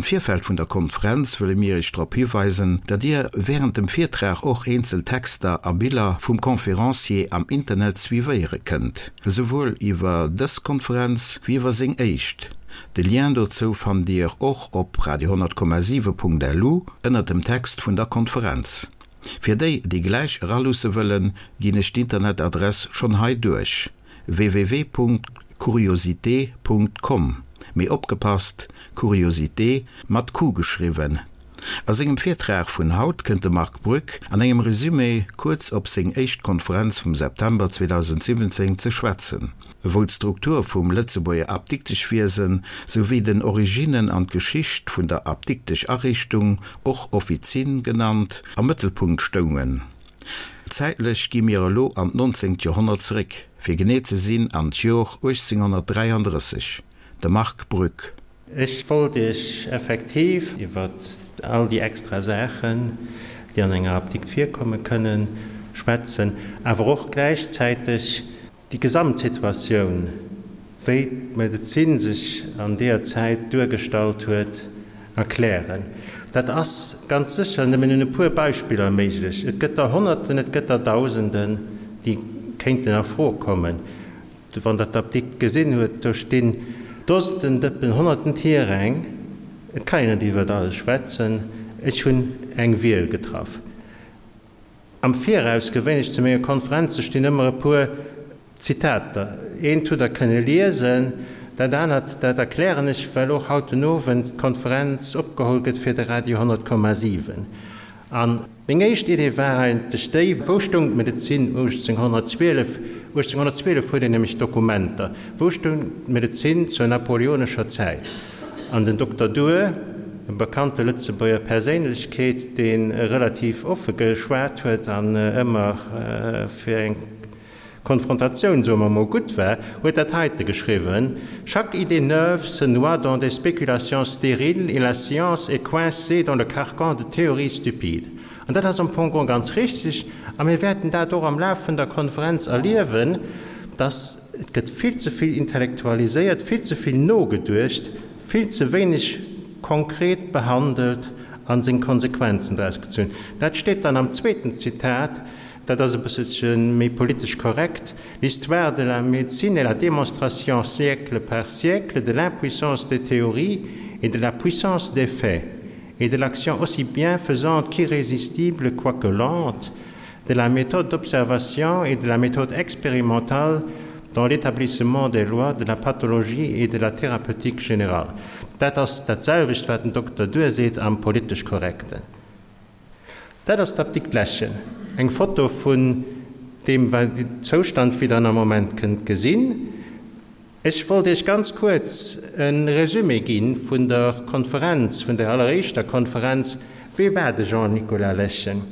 Virfeld vun der Konferenz wëlle mir Iech drop hiweisen, datt Dir wärend dem Virtrag och eenzel Texter a Biller vum Conférencier am Internet suivéiere kënnt, esouwuel iwwer dës Konferenz wéi iwwer seng éischt. De Lien dozou fannt Dir och op radio10,7.lu ënnert dem Text vun der Konferenz. Fir déi, déi gläich eraluusse wëllen, ginn ech d'Internetadress schonn hei duerch, www.curiosité.com, mee opgepasst, Curiosité mat Q geschriwwen. A sengem Virtrag vun haut kënnt de Marc Brück an engem Resumé kuerz op seng éischt Konferenz vum September 2017 ze schwätzen, wou d'Struktur vum Lëtzebuerger Apdikteschwiesen souwéi den Originnen an d'Geschicht vun der Apdikteschariichtung, och Offizin genannt, am Mëttelpunkt stoungen. Zäitlech gi mir elo an d'nonzéngt Joerhonnert zeréck, fir genee ze sinn an d'Jor 1833. De Marc Brück. Ech wollt Iech effektiv iwwer all déi extra Saachen, déi an enger Apdikt virkomme kënnen, schwätzen, awer och gläichzäiteg déi Gesamtsituatioun, wéi d'Medezin sech an deeër Zäit duergestallt huet, erklären. Dat ass ganz sécher nëmmen un e puer Beispiller méiglech. Et gëtt der Honnerten, et gëtt der Dausenden, déi kéinten a Fro kommen. Wann der d'Apdikt gesinn huet, do stinn Dosenden Dëppen, honnerten Tiräng. Et kann een net iwwert alles schwätzen. Ech hunn eng Wiel getraff. Am Viraus, gewéinlech zu menge Konferenze stinn ëmmer e puer Zitater. Eent hutt der kënne liesen, dat anert, dat erklären ech, well och haut den Owend d'Konferenz opgeholl gëtt fir de Radio 100,7. An meng éischt Idee war eigentlech déi, Wou stoung d'Medezin 1812? 1812 huet een nämlech Dokumenter. Wou stoung d'Medezin zur napoleonescher Zäit? An den Dokter Duhr, e bekannte Lëtzebuerger Perséinlechkeet, dee relativ offe geschwat huet an ëmmer fir eng Konfrontatioun, soe mer mol, gutt war, huet dat heite geschriwwen, Chaque idée neuve se noie dans des spéculations stériles et la science est coincée dans le carcan de théories stupides. An dat ass am Fong geholl ganz richtig, a mir wäerten dat och am Laf vun der Konferenz erliewen, dass et gëtt vill ze vill intellektualiséiert, vill ze vill nogeduecht, vill ze wéineg konkret behandelt a seng Konsequenzen draus gezunn. Dat steet dann am zweeten Zitat, Dat ass e bësselche méi politesch korrekt, L'histoire de la médecine est la démonstration siècle par siècle de l'impuissance des théories et de la puissance des faits et de l'action aussi bienfaisante qu'irrésistible, quoique lente, de la méthode d'observation et de la méthode expérimentale dans l'établissement des lois de la pathologie et de la thérapeutique générale. Dat ass dat selwecht, wat den Dokter Duhr seet am politesch Korrekten. Dat ass d'Apdikt Läschen. Eng Foto vun deem Zoustand wéi der en am Moment kënnt gesinn. Ech wollt Iech ganz kuerz e Resumé gi vun der Konferenz, vun der alleréischter Konferenz. Wee war de Jean Nicolas Läschen?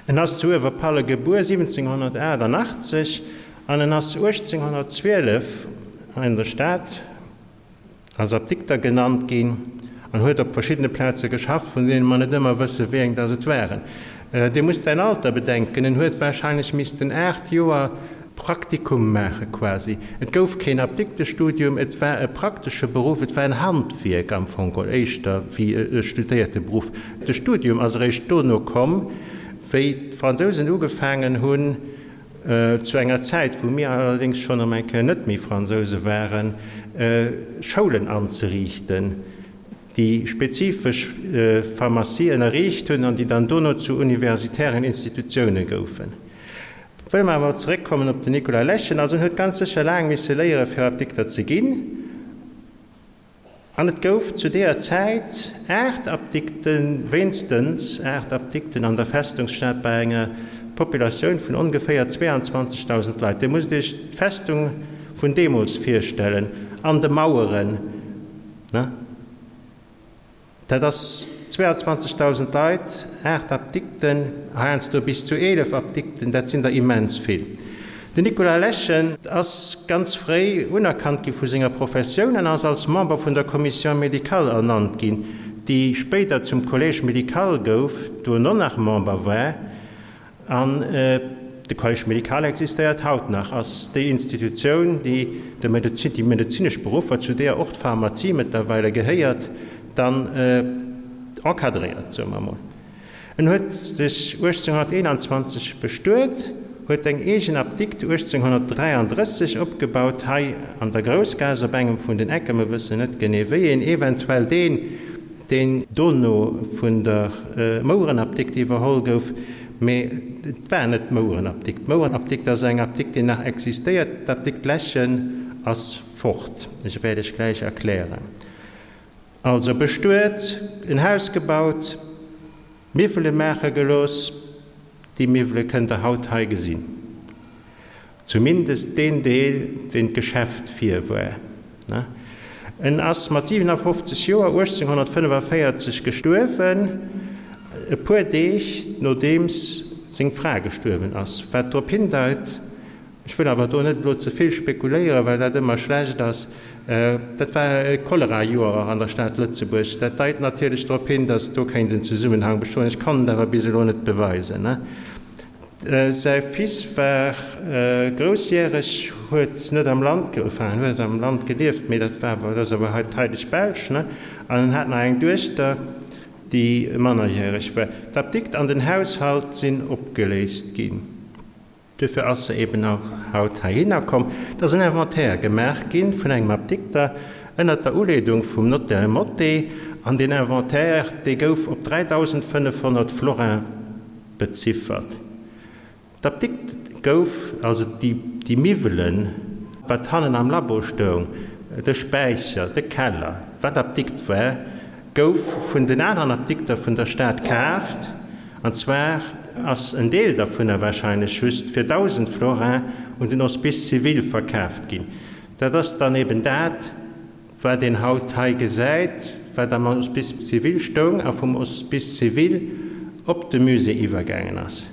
En ass zu Uewerpalle gebuer 1788 an en ass 1812 an der Stad, als Apdikter genannt ginn an huet op verschiddene Plaze geschafft, vun deene mer net ëmmer wësse wéi eng dass et waren. Dir musst säin Alter bedenken, en huet warscheinlech missten 8 Joer Praktikum maache quasi. Et gouf keen Apdiktestudium, et war e praktesche Beruff, et war en Handwierk am Fong geholl éischter wéi e studéierte Beruff. De Studium ass eréischt dono komm, wéi d'Fransousen ugefaangen hunn, zu enger Zäit, wou mir allerdéngs schonn erëm eng Kéier net méi Fransouse waren, Schoulen anzeriichten, déi spezifesch Pharmacie ënnerriicht hunn an déi dann dono zu universitären Institutioune goufen. Wëlle mer awer zeréckkommen op den Nicolas Läschen. Also en huet ganz sécher laang misse léiere fir Apdikter ze ginn. An et gouf zu deeër Zäit 8 Apdikten, wéinstens 8 Apdikten an der Festungsstad bei enger Populatioun vun ongeféier 22.000 Leit. Dir musst Iech d'Festung vun deemools virstellen, an de Maueren, ne? Dat ass 22.000 Leit, 8 Apdikten, heiansdo bis zu 11 Apdikten, dat sinn der immens vill. Den Nicolas Lechen ass ganz fréi unerkannt gi vu senger Professioun an ass als Member vun der Commission médicale ernannt ginn, déi spéider zum Collège médical gouf, dono nach Member war. An de Collège médical existéiert haut nach, ass déi Institutioun, déi de Medezin, déi medezinesch Beruffer, zu deeër och d'Pharmazie mëttlerweile gehéiert, Dann encadréiert, soe mer emol. En huet sech 1821 bestuet, huet eng eegen Apdikt 1833 opgebaut, hei an der Groussgaass op engem vun den Ecken, mer wëssen net genee wéi een, eventuell deen, deen dono vun der Mouerenapdikt iwwerholl gouf, mee et war net d'Mouerenapdikt. D'Mouerenapdikt ass eng Apdikt, déi nach existéiert, d'Apdikt Lechen ass fort. Ech wäert iech gläich erklären. Also bestuet, en Haus gebaut, Miwwele maache gelooss. Déi Miwwele kënnt der haut hei gesinn. Zumindest deen Deel, deen d'Geschäft vir war. En ass mat 57 Joer 1845 gestuerwen, e puer Deeg nodeems seng Fra gestuerwen ass, wat drop hindeit, Ech wëll awer do net elo ze vill spekuléieren, well dat ëmmer schlecht ass. Dat war e Cholera-Joer an der Stad Lëtzebuerg. Dat deit natierlech drop hin, datt do kéint en Zesummenhang bestoen. Ech kann et awer bis elo net beweisen. Säi Fils war groussjäreg, huet net am Land, enfin en huet am Land gelieft, mee dat war awer, dat ass awer hei d'Heileg Belsch, ne? An en hat nach eng Duechter, déi mannerjäreg war. D'Apdikt an den Haushalt sinn opgeléist ginn. Duerfir ass se eben och haut heihinner komm. Et ass en Inventaire gemaach gi vun engem Apdikter ënnert der Uleedung vum Notaire Motté, an deen Inventaire, dee gouf op 3.500 Florin beziffert. D'Apdikt gouf, also déi Miwwelen, wat hannen am Labo stoung, de Späicher, de Keller, wat Apdikt war, gouf vun den aneren Apdikter vun der Stad kaaft, an zwar ass en Deel dervunner wahrscheinlech just fir 1.000 Florin un den Hospice civil verkaaft ginn. Dat ass dann eben dat, wat een haut hei gesäit, wat am Hospice civil stoung a vum Hospice civil op de Musée iwwergaangen ass.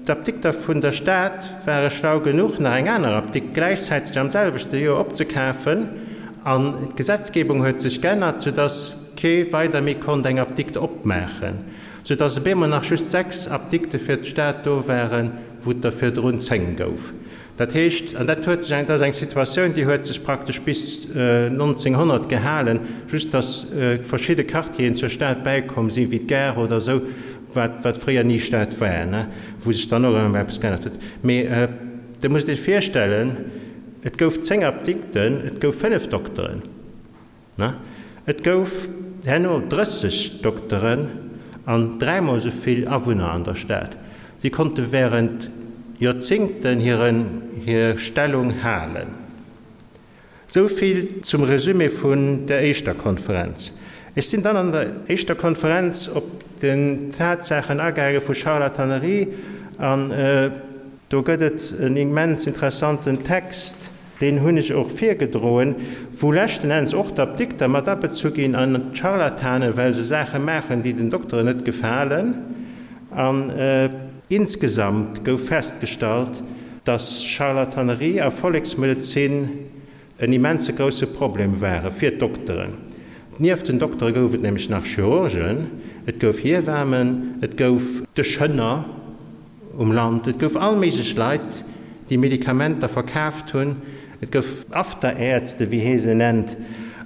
D'Apdikter vun der Stad ware schlau genuch, nach eng aner Apdikt gläichzäiteg am selwechte Joer opzekafen, an d'Gesetzgebung huet sech geännert, soudass kee weider méi konnt eng Apdikt opmaachen, soudass op eemol nach just 6 Apdikte fir d'Stad do waren, wou et der virdrun 10 gouf. Dat heescht, an dat huet sech, dat ass eng Situatioun, déi huet sech praktesch bis 1900 gehalen, just datt verschidde Quartieren zur Stad bäikomm sinn, wéi d'Gare oder esou, wat, wat fréier ni Stad war, ne, wou sech dann och ëmmer eppes geännert huet. Mee Der musst Iech virstellen, et gouf 10 Apdikten, et gouf 5 Dokteren. Ne? Et gouf herno 30 Dokteren an dräimol esou vill Awunner an der Stad. Si konnte während Joerzingten hiren hir Stellung halen. Sou vill zum Resumé vun der éischter Konferenz. Ech sinn dann an der éischter Konferenz op den Tatsaachen agaange vu Charlatanerie an do gëtt et en immens interessanten Text, Deen hunn ech och virgedroen, wou leschten Enns och d'Apdikter mat abezu ginn an d'Scharlatanen, well se Saache maachen, déi den Dokteren net gefalen. An insgesamt gouf festgestallt, dass Scharlatanerie a Volleksmedezin en immense grousse Problem ware fir d'Dokteren. Nieft den Doktere gouf et nämlech nach Chirurgen, et gouf Hiewamen, et gouf de Schënner, Um Land. Et gouf all méiglech Leit, déi Medikamenter verkaaft hunn. Et gouf Afterärzte, wéi hee se nennt.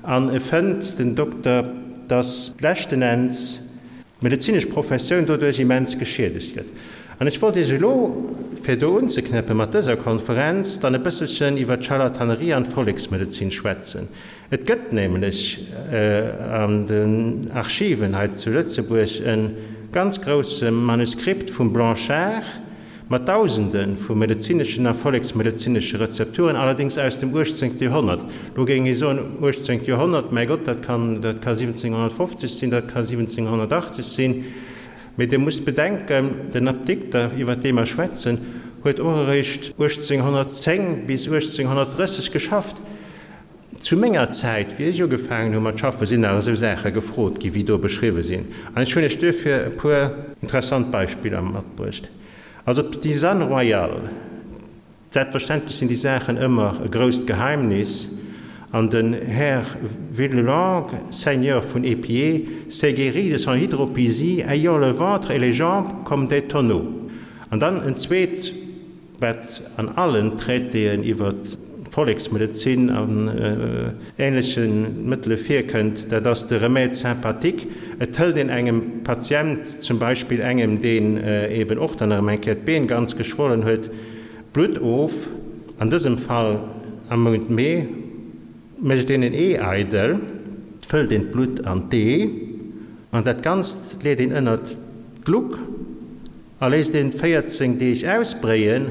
An e fënnt, den Dokter, dass leschten Enns d'medezinesch Professioun doduerch immens geschiedegt gëtt. An ech wollt Iech elo, fir do unzeknäppe mat dëser Konferenz, dann e bësselchen iwwer d'Charlatanerie an d'Volleksmedezin schwätzen. Et gëtt nämlech an den Archiven hei zu Lëtzebuerg e ganz grousse Manuskript vum Blanchard mat Dausende vu medezineschen a volleksmedezinesche Rezepturen, allerdéngs aus dem 18. Joerhonnert. Lo géing ee soen, 18. Joerhonnert, mäi Gott, dat kann, dat ka 1750 sinn, dat ka 1780 sinn. Mee Dir musst bedenken, den Apdikter, iwwer dee mer schwätzen, huet och eréischt 1810 bis 1830 geschafft. Zu menger Zäit, wéi ech ugefaangen hu mat schaffen, sinn nach esou Saache gefrot ginn, wéi do beschriwwe sinn. An ech hunn Iech duerfir e puer interessant Beispiller matbruecht. Also d'Tisane royale, selbstverständlech sinn déi Saachen ëmmer e grousst Geheimnis, an den Här Villelongue, Seigneur vun Épiers, s'est guéri de son hydropisie ayant le ventre et les jambes comme des tonneaux. An dann en zweet. Wat an allen Traitéen iwwer. Volleksmedezin an änleche Mëttele virkënnt, dat ass de Remède sympathique. Et hëlt een engem Patient, zum Beispill engem, deen eben och dann erëm eng Kéier d'Been ganz geschwollen huet, Blutt of, an dësem Fall am Mount Mee, mécht een en Ee eidel, fëllt een d'Blutt an d'Ee an dat Ganzt leet een ënnert d'Gluck a léisst een 14 Deeg ausbréien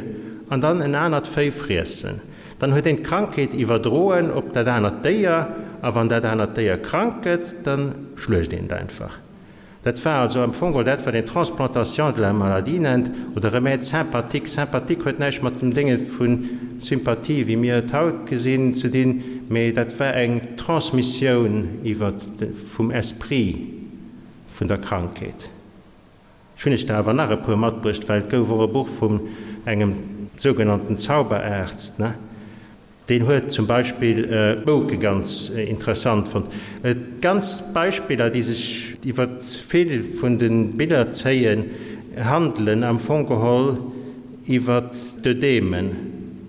an dann en anert Véi friessen. Dann huet een d'Krankheet iwwerdroen op dat anert Déier a wann dat anert Déier krank gëtt, da schluecht een et einfach. Dat war also am Fong geholl dat, wat een Transplantation de la maladie nennt oder Remède sympathique. Sympathique huet näischt mat dem Dénge vu Sympathie, wéi mir et haut gesinn, ze dinn, mee dat war eng Transmissioun iwwer vum Esprit vun der Krankheet. Ech hunn iech der awer nach e puer matbruecht, well et gouf och e Buch vun engem sougenannten Zauberarzt, ne? Deen huet zum Beispill d'Mouke ganz interessant fonnt. D'ganz Beispiller, déi sech iwwer vill vun de Biller zéien, handelen am Fong geholl iwwer d'Ödemen,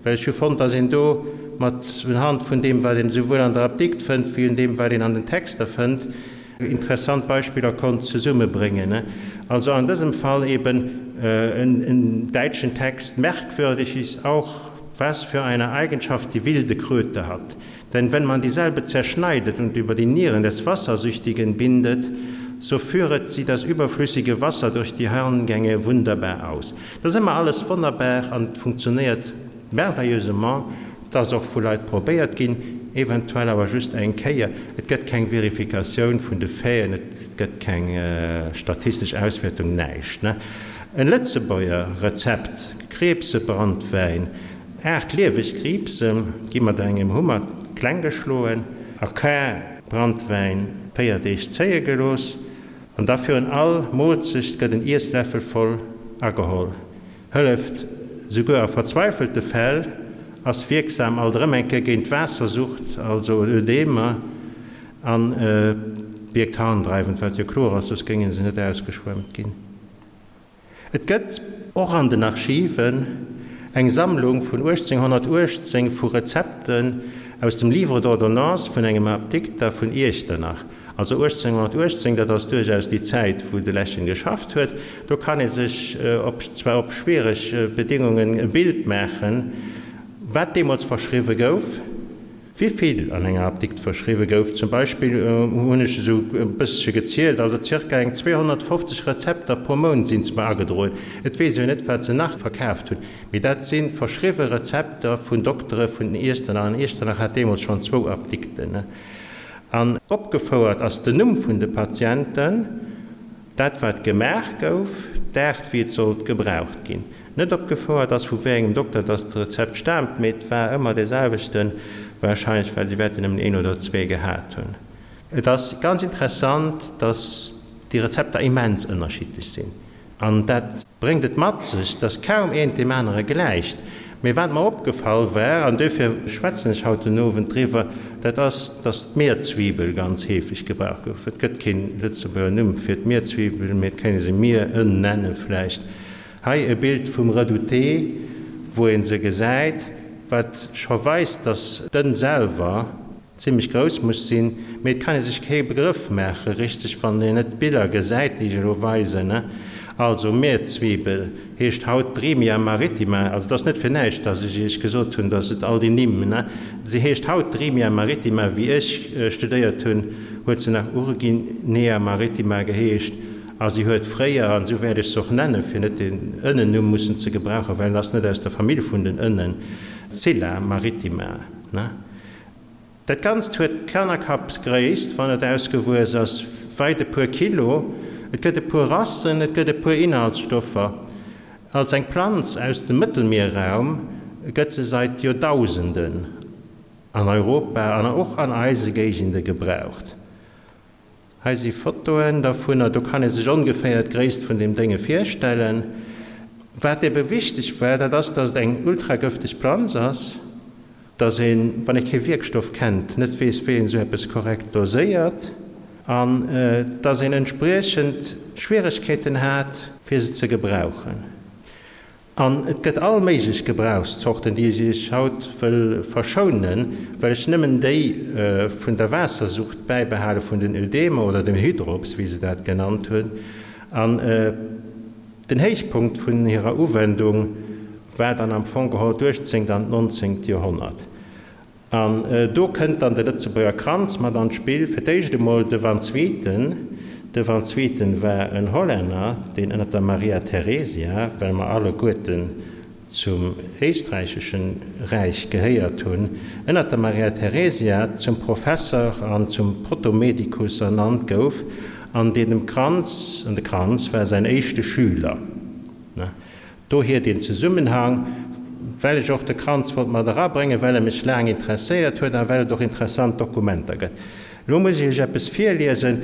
well ech hu fonnt, datt een do mat unhand vun deem, wat een esouwuel an der Apdikt fënnt, wéi un deem, wat een an den Texter fënnt, interessant Beispiller konnt zesummebréngen. Also an dësem Fall eben en däitschen Text, Merkwürdig ist auch, was für eine Eigenschaft die wilde Kröte hat. Denn wenn man dieselbe zerschneidet und über die Nieren des Wassersüchtigen bindet, so führet sie das überflüssige Wasser durch die Harngänge wunderbar aus. Dat ass ëmmer alles wonnerbar an et funktionéiert merveilleusement. Et ass och vu Leit probéiert ginn, eventuell awer just eng Kéier. Et gëtt keng Verifikatioun vun de Faiten, et gëtt keng statistesch Auswäertung, näischt. En Lëtzebuerger Rezept, Kriibsebrandwäin, 8 lieweg Kriibse gi mat engem Hummer kleng geschloen, a Kar Brandwäin 4 Deeg zéie gelooss an da virun all Moolzecht gëtt en Iessläffel voll ageholl. Hëlleft souguer a verzweifelte Fäll, ass wierksam alt erëm eng Kéier géint Waassersucht, also Ödemer, a wierkt harndreiwend, wat jo kloer ass, soss géinge se net ausgeschwemmt ginn. Et gëtt och an den Archiven eng Sammlung vun 1818 vu Rezepten aus dem Livre d'ordonnances vun engem Apdikter vun Iechternach. Also 1818, dat ass duerchaus déi Zäit, wou de Lechen geschafft huet. Do kann ee sech, op zwar op schwiereg Bedéngungen, e Bild maachen, wat deemools verschriwwe gouf. Wivill an enger Apdikt verschriwwe gouf zum Beispill, hunn ech esou e bëssche gezielt, also zirka eng 250 Rezepter pro Mount sinn zwar agedroen, et weess ee jo net, wat se nach verkaaft hunn, mee dat si verschriwwe Rezepter vun Doktere vun Iechternach, an Iechternach hat deemools schonn zwou Apdikten. An opgefouert ass den Numm vun de Patienten. Dat wat gemaach gouf, d'Aart wéi et sollt gebraucht ginn. Net opgefouert ass vu wéi engem Dokter dass d'Rezept staamt, mee et war ëmmer dee selwechten, wahrscheinlech well si wäerten nëmmen een oder zwee gehat hunn. Et ass ganz interessant, dass déi Rezepter immens ënnerschiddlech sinn. An dat bréngt et mat sech, dass kaum eent deem anere gläicht. Mee wat mer opgefall war, an duerfir schwätzen ech haut den Owend driwwer, dat ass, dass d'Mierzwiebel ganz heefeg gebraucht gouf. Et gëtt kee Lëtzebuerger Numm fir d'Mierzwiebel, mee et kéint ee se Mierënn nenne vläicht. Hei e Bild vum Redouté, wou ee se gesäit, wat scho weist, dass d'Ënn selwer, Zimlech grouss muss sinn, mee et kann ee sech kee Begrëff maache richteg, wann een net d'Biller gesäit, déi ech elo weisen. Also, Mierzwiebel heescht haut Drimia maritima, also et ass net fir näischt, dass ech Iech gesot hunn, dass et all déi Nimm, ne, se heescht haut Drimia maritima, wéi ech studéiert hunn, huet se nach Urginea maritima geheescht a si huet fréier, an esou wäert ech se och nennen, fir net den Ënnennumm mussen ze gebrauchen, well en ass net aus der Famill vun den Ënnen, Scilla maritima, ne. Dat Ganzt huet Kannerkappsgréisst, wann et ausgewuess ass, weit e puer Kilo. Et gëtt e puer Rassen, et gëtt e puer Inhaltsstoffer. Als eng Planz aus dem Mëttelmierraum gëtt se seit Joerdausenden an Europa an och an eise Géigende gebraucht. Hei si Fotoen dervunner, do kann ee sech ongeféier d'Gréisst vun deem Dénge virstellen. Wat ebe wichteg war, dat ass, dass et eng ultragëfteg Planz ass, dass een, wann ee kee Wierkstoff kennt, net weess, wéi een esou eppes korrekt doséiert an dass een entspriechend Schwieregkeeten hat, fir se ze gebrauchen. An et gëtt all méiglech Gebrauchszorten, déi ech Iech haut wëll verschounen, well ech nëmmen déi vun der Waassersucht bäibehale vun den Ödemer oder dem Hydrops, wéi se dat genannt hunn. An den Héichpunkt vun hirer Uwendung war dann am Fong geholl d'uechtzéngt an d'nonzéngt Joerhonnert. An do kënnt dann de Lëtzebuerger Kranz mat an d'Spill. Fir d'éischt emol de Van Swieten. De Van Swieten war en Hollänner, deen ënner der Maria Theresia, well mer alleguerten zum éisträicheschen Räich gehéiert hunn, ënner der Maria Theresia zum Professer an zum Protomedicus ernannt gouf, an deen dem Kranz, an de Kranz war säin éischte Schüler. Dohier deen Zesummenhang, well ech och de Kranz wollt mat erabréngen, well e mech laang interesséiert huet a well et och interessant Dokumenter gëtt. Elo muss ech Iech eppes virliesen.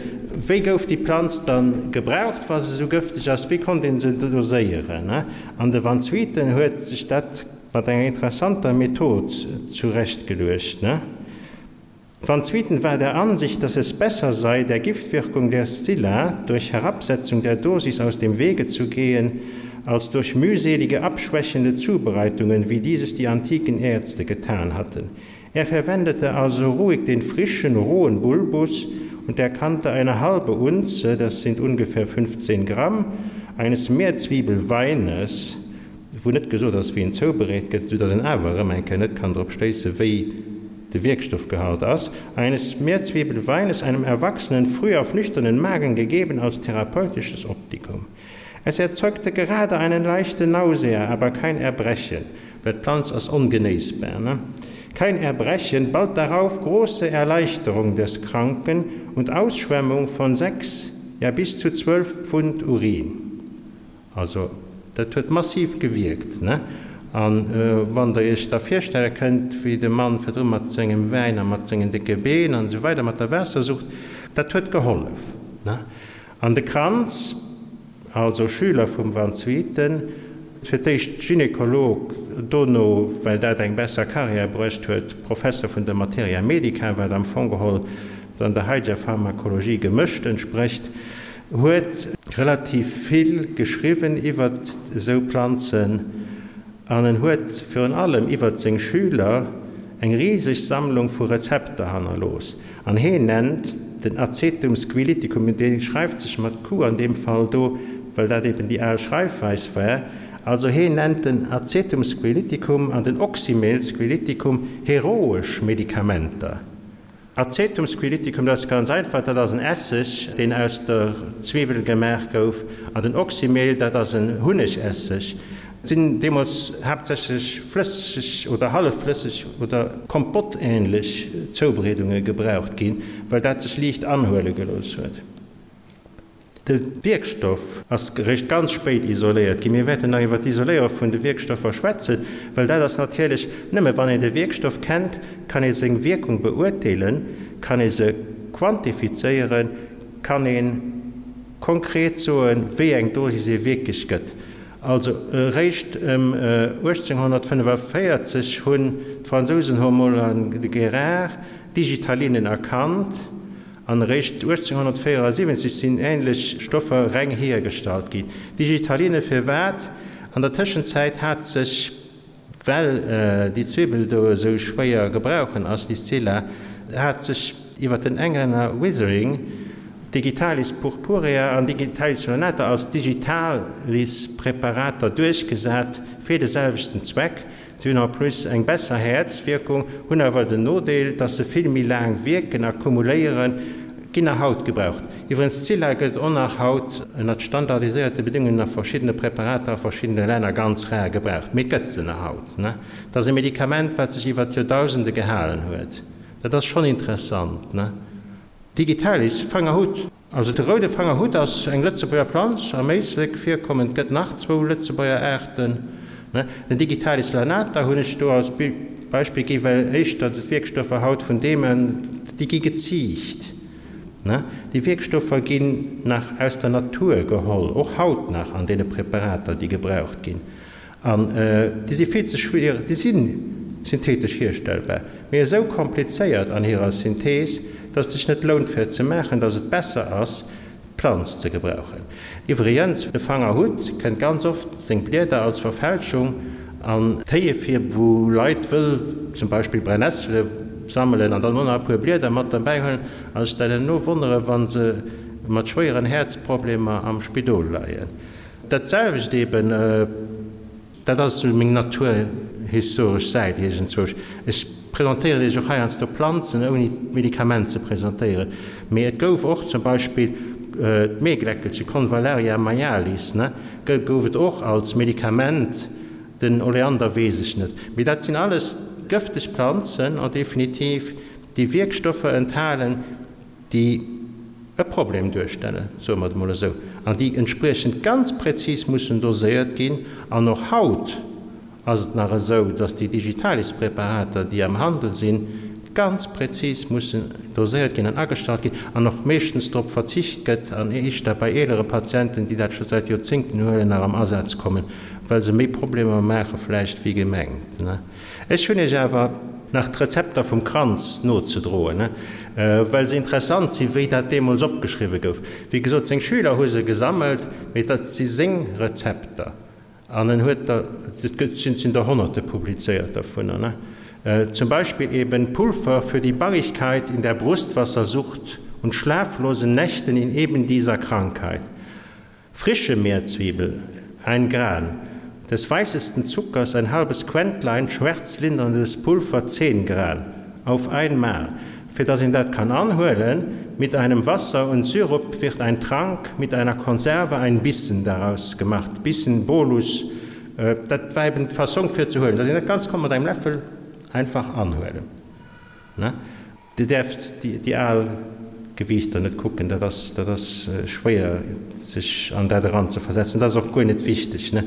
Wéi gouf déi Planz dann gebraucht, wa se esou gëfteg ass? Wéi konnt ee se doséieren? An de Van Swieten huet sech dat mat enger interessanter Method zurechtgeluecht. Van Swieten war der Ansicht, dass es besser sei, der Giftwirkung der Scylla durch Herabsetzung der Dosis aus dem Wege zu gehen, als durch mühselige abschwächende Zubereitungen, wie dieses die antiken Ärzte getan hatten. Er verwendete also ruhig den frischen, rohen Bulbus und erkannte eine halbe Unze, das sind ungefähr 15 Gramm, eines Meerzwiebelweines, wou net gesot ass, wéi en zoubereet gëtt, soudass een awer erëm eng Kéier net kann drop schléissen, wéi de Wierkstoffgehalt ass, eines Meerzwiebelweines einem Erwachsenen früh auf nüchternen Magen gegeben als therapeutisches Optikum. Es erzeugte gerade einen leichten Nausea, aber kein Erbrechen, well d'Planz ass ongenéissbar, ne? Kein Erbrechen, bald darauf große Erleichterung des Kranken und Ausschwemmung von sechs, ja bis zu zwölf Pfund Urin. Also, dat huet massiv gewierkt, ne? A wann Der Iech da virstelle kënnt, wéi de Mann virdru mat sengem Wäin a mat sengen décke Been an esou weider, mat der Waassersucht, dat huet gehollef, ne? An de Kranz, also Schüler vum Van Swieten, fir d'éischt Gynekolog, dono, well dat eng besser Karriär bruecht huet, Professer vun der Materia Medica, wat am Fong geholl dann der haideger Pharmakologie gemëscht entsprécht, huet relativ vill geschriwwen iwwert esou Planzen an en huet virun allem iwwert seng Schüler eng riseg Sammlung vu Rezepter hannerlooss. An heen nennt den Acetum squiliticum, dee schreift sech mat Q an deem Fall do, well dat eben déi al Schreifweis war, also heen nennt den Acetum squiliticum an den Oxymel squiliticum heroesch Medikamenter. Acetum squiliticum, dat ass ganz einfach, dat ass en Esseg, deen aus der Zwiwwel gemaach gouf, an den Oxymel, dat ass en Hunnegesseg. Et sinn deemools haaptsächlech flësseg oder hallefflësseg oder kompottähnlech Zoubereedunge gebraucht ginn, well dat sech liicht anhuele gelooss huet. De Wierkstoff ass eréischt ganz spéit isoléiert ginn. Mir wäerten nach iwwer d'Isoléiere vun de Wierkstoffer schwätzen, well dat ass natierlech, nëmme wann een de Wierkstoff kennt, kann ee seng Wierkung beurteelen, kann ee se quantifizéieren, kann ee konkret soen, wéi eng Dosis ee wierklech gëtt. Also eréischt ëm 1845 hunn d'Fransousen Homolle an de Guérard d'Digitalinen erkannt. An eréischt 1874 sinn änlech Stoffer reng hiergestallt ginn. Digitaline firwat? An der Tëschenzäit hat sech, well déi Zwibbel do esou schwéier gebrauchen ass, déi Scilla, hat sech iwwer den Englänner Withering Digitalis purpurea an Digitalis lanata als Digitalis-Präparater duerchgesat fir de selwechten Zweck. Si hunn en plus eng besser Häerzwierkung, hunn awer den Nodeel, dass se vill méi laang wierken a kumuléieren, ginn nach haut gebraucht. Iwwregens, Scilla gëtt och nach haut ënnert standardiséierte Bedingungen a verschiddene Präparater a verschiddene Länner ganz rar gebraucht, mee et gëtt se nach haut. Et ass e Medikament, wat sech iwwer d'Joerdausende gehalen huet. Dat ass schonn interessant. Digitalis, Fangerhutt. Also de roude Fangerhutt ass eng Lëtzebuerger Planz, am Éislek virkommend, gëtt nach zwou Lëtzebuerger Aarten. Den Digitalis lanata hunn ech do als Beispill gi well éischter d'Wierkstoffer haut vun deem, déi gi geziicht. Déi Wierkstoffer ginn nach aus der Natur geholl, och haut nach an deene Präparater déi gebraucht ginn. An déi si vill ze schwiereg, déi si synthetesch hierstellbar, mee esou komplizéiert an hirer Synthees, dass et sech net lount fir et ze maachen, dass et besser ass, d'Planz ze gebrauchen. Iwwregens, de Fanger Hutt kënnt ganz oft seng Blieder als Verfälschung an Téie vir, wou Leit wëll zum Beispill Brennessele sammelen an dann och nach e puer Blieder mat derbäi huelen a sech dann herno wonnere wa se mat schwéieren Häerzproblemer am Spidol leien. Dat selwecht eben. Dat ass esou meng naturhistoresch Säit iergendzwousch. Ech presentéieren Iech och heiansdo Planzen, ouni d'Medikament ze presentéieren. Mee et gouf och zum Beispill d'Meegläckelche, Convallaria majalis, ne, gouf et och als Medikament. Den Oleander weess ech net. Mee dat sinn alles gëfteg Planzen, en définitive, déi Wierkstoffer enthalen, déi e Problem duerstellen, soe mer et emol esou, an déi entspriechend ganz präzis mussen doséiert ginn. An och haut ass et nach esou, dass déi Digitalispreparater, déi am Handel sinn, ganz präzis mussen doséiert ginn an agestallt ginn an och meeschtens drop verzicht gëtt an éischter bei eelere Patienten, déi dat scho säit Joerzéngten huelen, nach am Asaz kommen, well se méi Problemer maache vläicht wéi gemengt. Ech hunn Iech awer nach d'Rezepter vum Kranz nozedroen, well se interessant sinn, wéi dat deemools opgeschriwwe gouf. Wéi gesot, seng Schüler hu se gesammelt, mee dat si seng Rezepter an en huet der, et gëtt, sinn der Honnerte publizéiert dervunner. Zum Beispill eben Pulver für die Bangigkeit in der Brustwassersucht und schlaflosen Nächten in eben dieser Krankheit. Frische Meerzwiebel, ein Gran, des weißesten Zuckers ein halbes Quentlein, schwärzlinderndes Pulver 10 Gran, auf einmal, fir dass een dat kann anhuelen, mit einem Wasser und Syrup wird ein Trank, mit einer Konserve ein Bissen daraus gemacht, Bissen, Bolus, dat war eben d'Fassong fir ze huelen, dass een dat Ganzt konnt mat engem Läffel einfach anhuelen. Dir däerft déi al Gewiichter net kucken, dat ass, dat ass schwéier sech an dat eranzeversetzen. Dat ass och guer net wichteg, ne?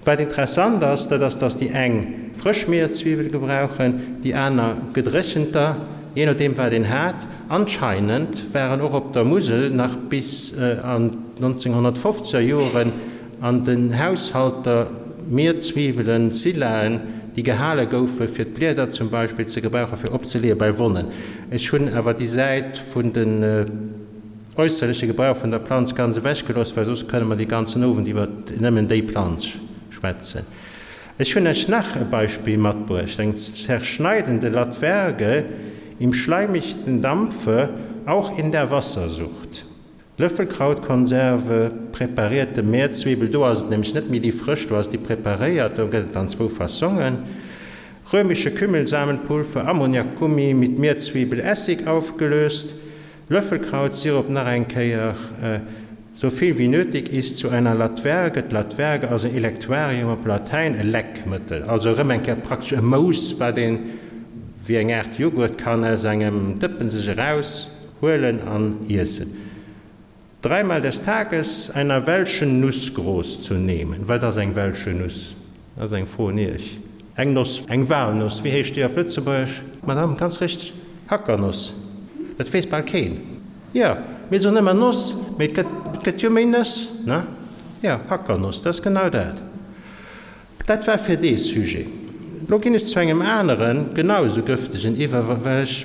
Wat interessant ass, dat ass, dass déi eng frësch Mierzwiwwel gebrauchen, déi aner gedréchenter, jee nodeem wat een hat. Anscheinend waren och op der Musel nach bis an d'Nonzénghonnertfofzeger Joren An den Haushalter Mierzwiwwelen, Silaen, déi gehale goufe fir d'Blieder zum Beispill ze gebrauche fir opzeleeë bei Wonnen. Ech hunn awer déi Säit vun den äusserleche Gebrauch vun der Planz ganz ewech gelooss, well soss kënne mer dee ganzen Owend iwwer nëmmen déi Planz schwätzen. Ech hunn Iech nach e Beispill matbruecht, eng zerschneidende Latwerge im schleimichten Dampfe, auch in der Wassersucht. Löffelkrautkonserve, preparierte Meerzwiebel, do ass et nämlech net méi déi frësch, do ass déi preparéiert, do gëtt et an zwou Fassongen, römische Kümmelsamenpulver, Ammoniakgummi mit Meerzwiebelessig aufgelöst, Löffelkrautsirup nach eng Kéier, so viel wie nötig ist zu einer Latwerge, d'Latwerge ass e Elektuarium op Latäin, e Leckmëttel, also erëm eng Kéier praktesch e Mouss, wat een wéi eng Aart Jughurt kann aus engem Dëppen sech eraus. Huelen an iessen. Dreimal des Tages einer welschen Nuss groß zu nehmen. Wat ass eng welsche Nuss? Dat ass eng Fro un Iech. Eng Noss, eng Walnuss, wéi heescht déi op Lëtzebuergesch? Madame, ganz richteg, Hackernoss. Dat weess bal keen. Jo, mir soen ëmmer Noss, mee et gëtt, et gëtt jo méi Nëss, ne? Jo, Hackernoss, dat ass genau dat. Dat war fir dee Sujet. Lo ginn ech zu engem aneren, genau esou gëftegen iwwer, well ech.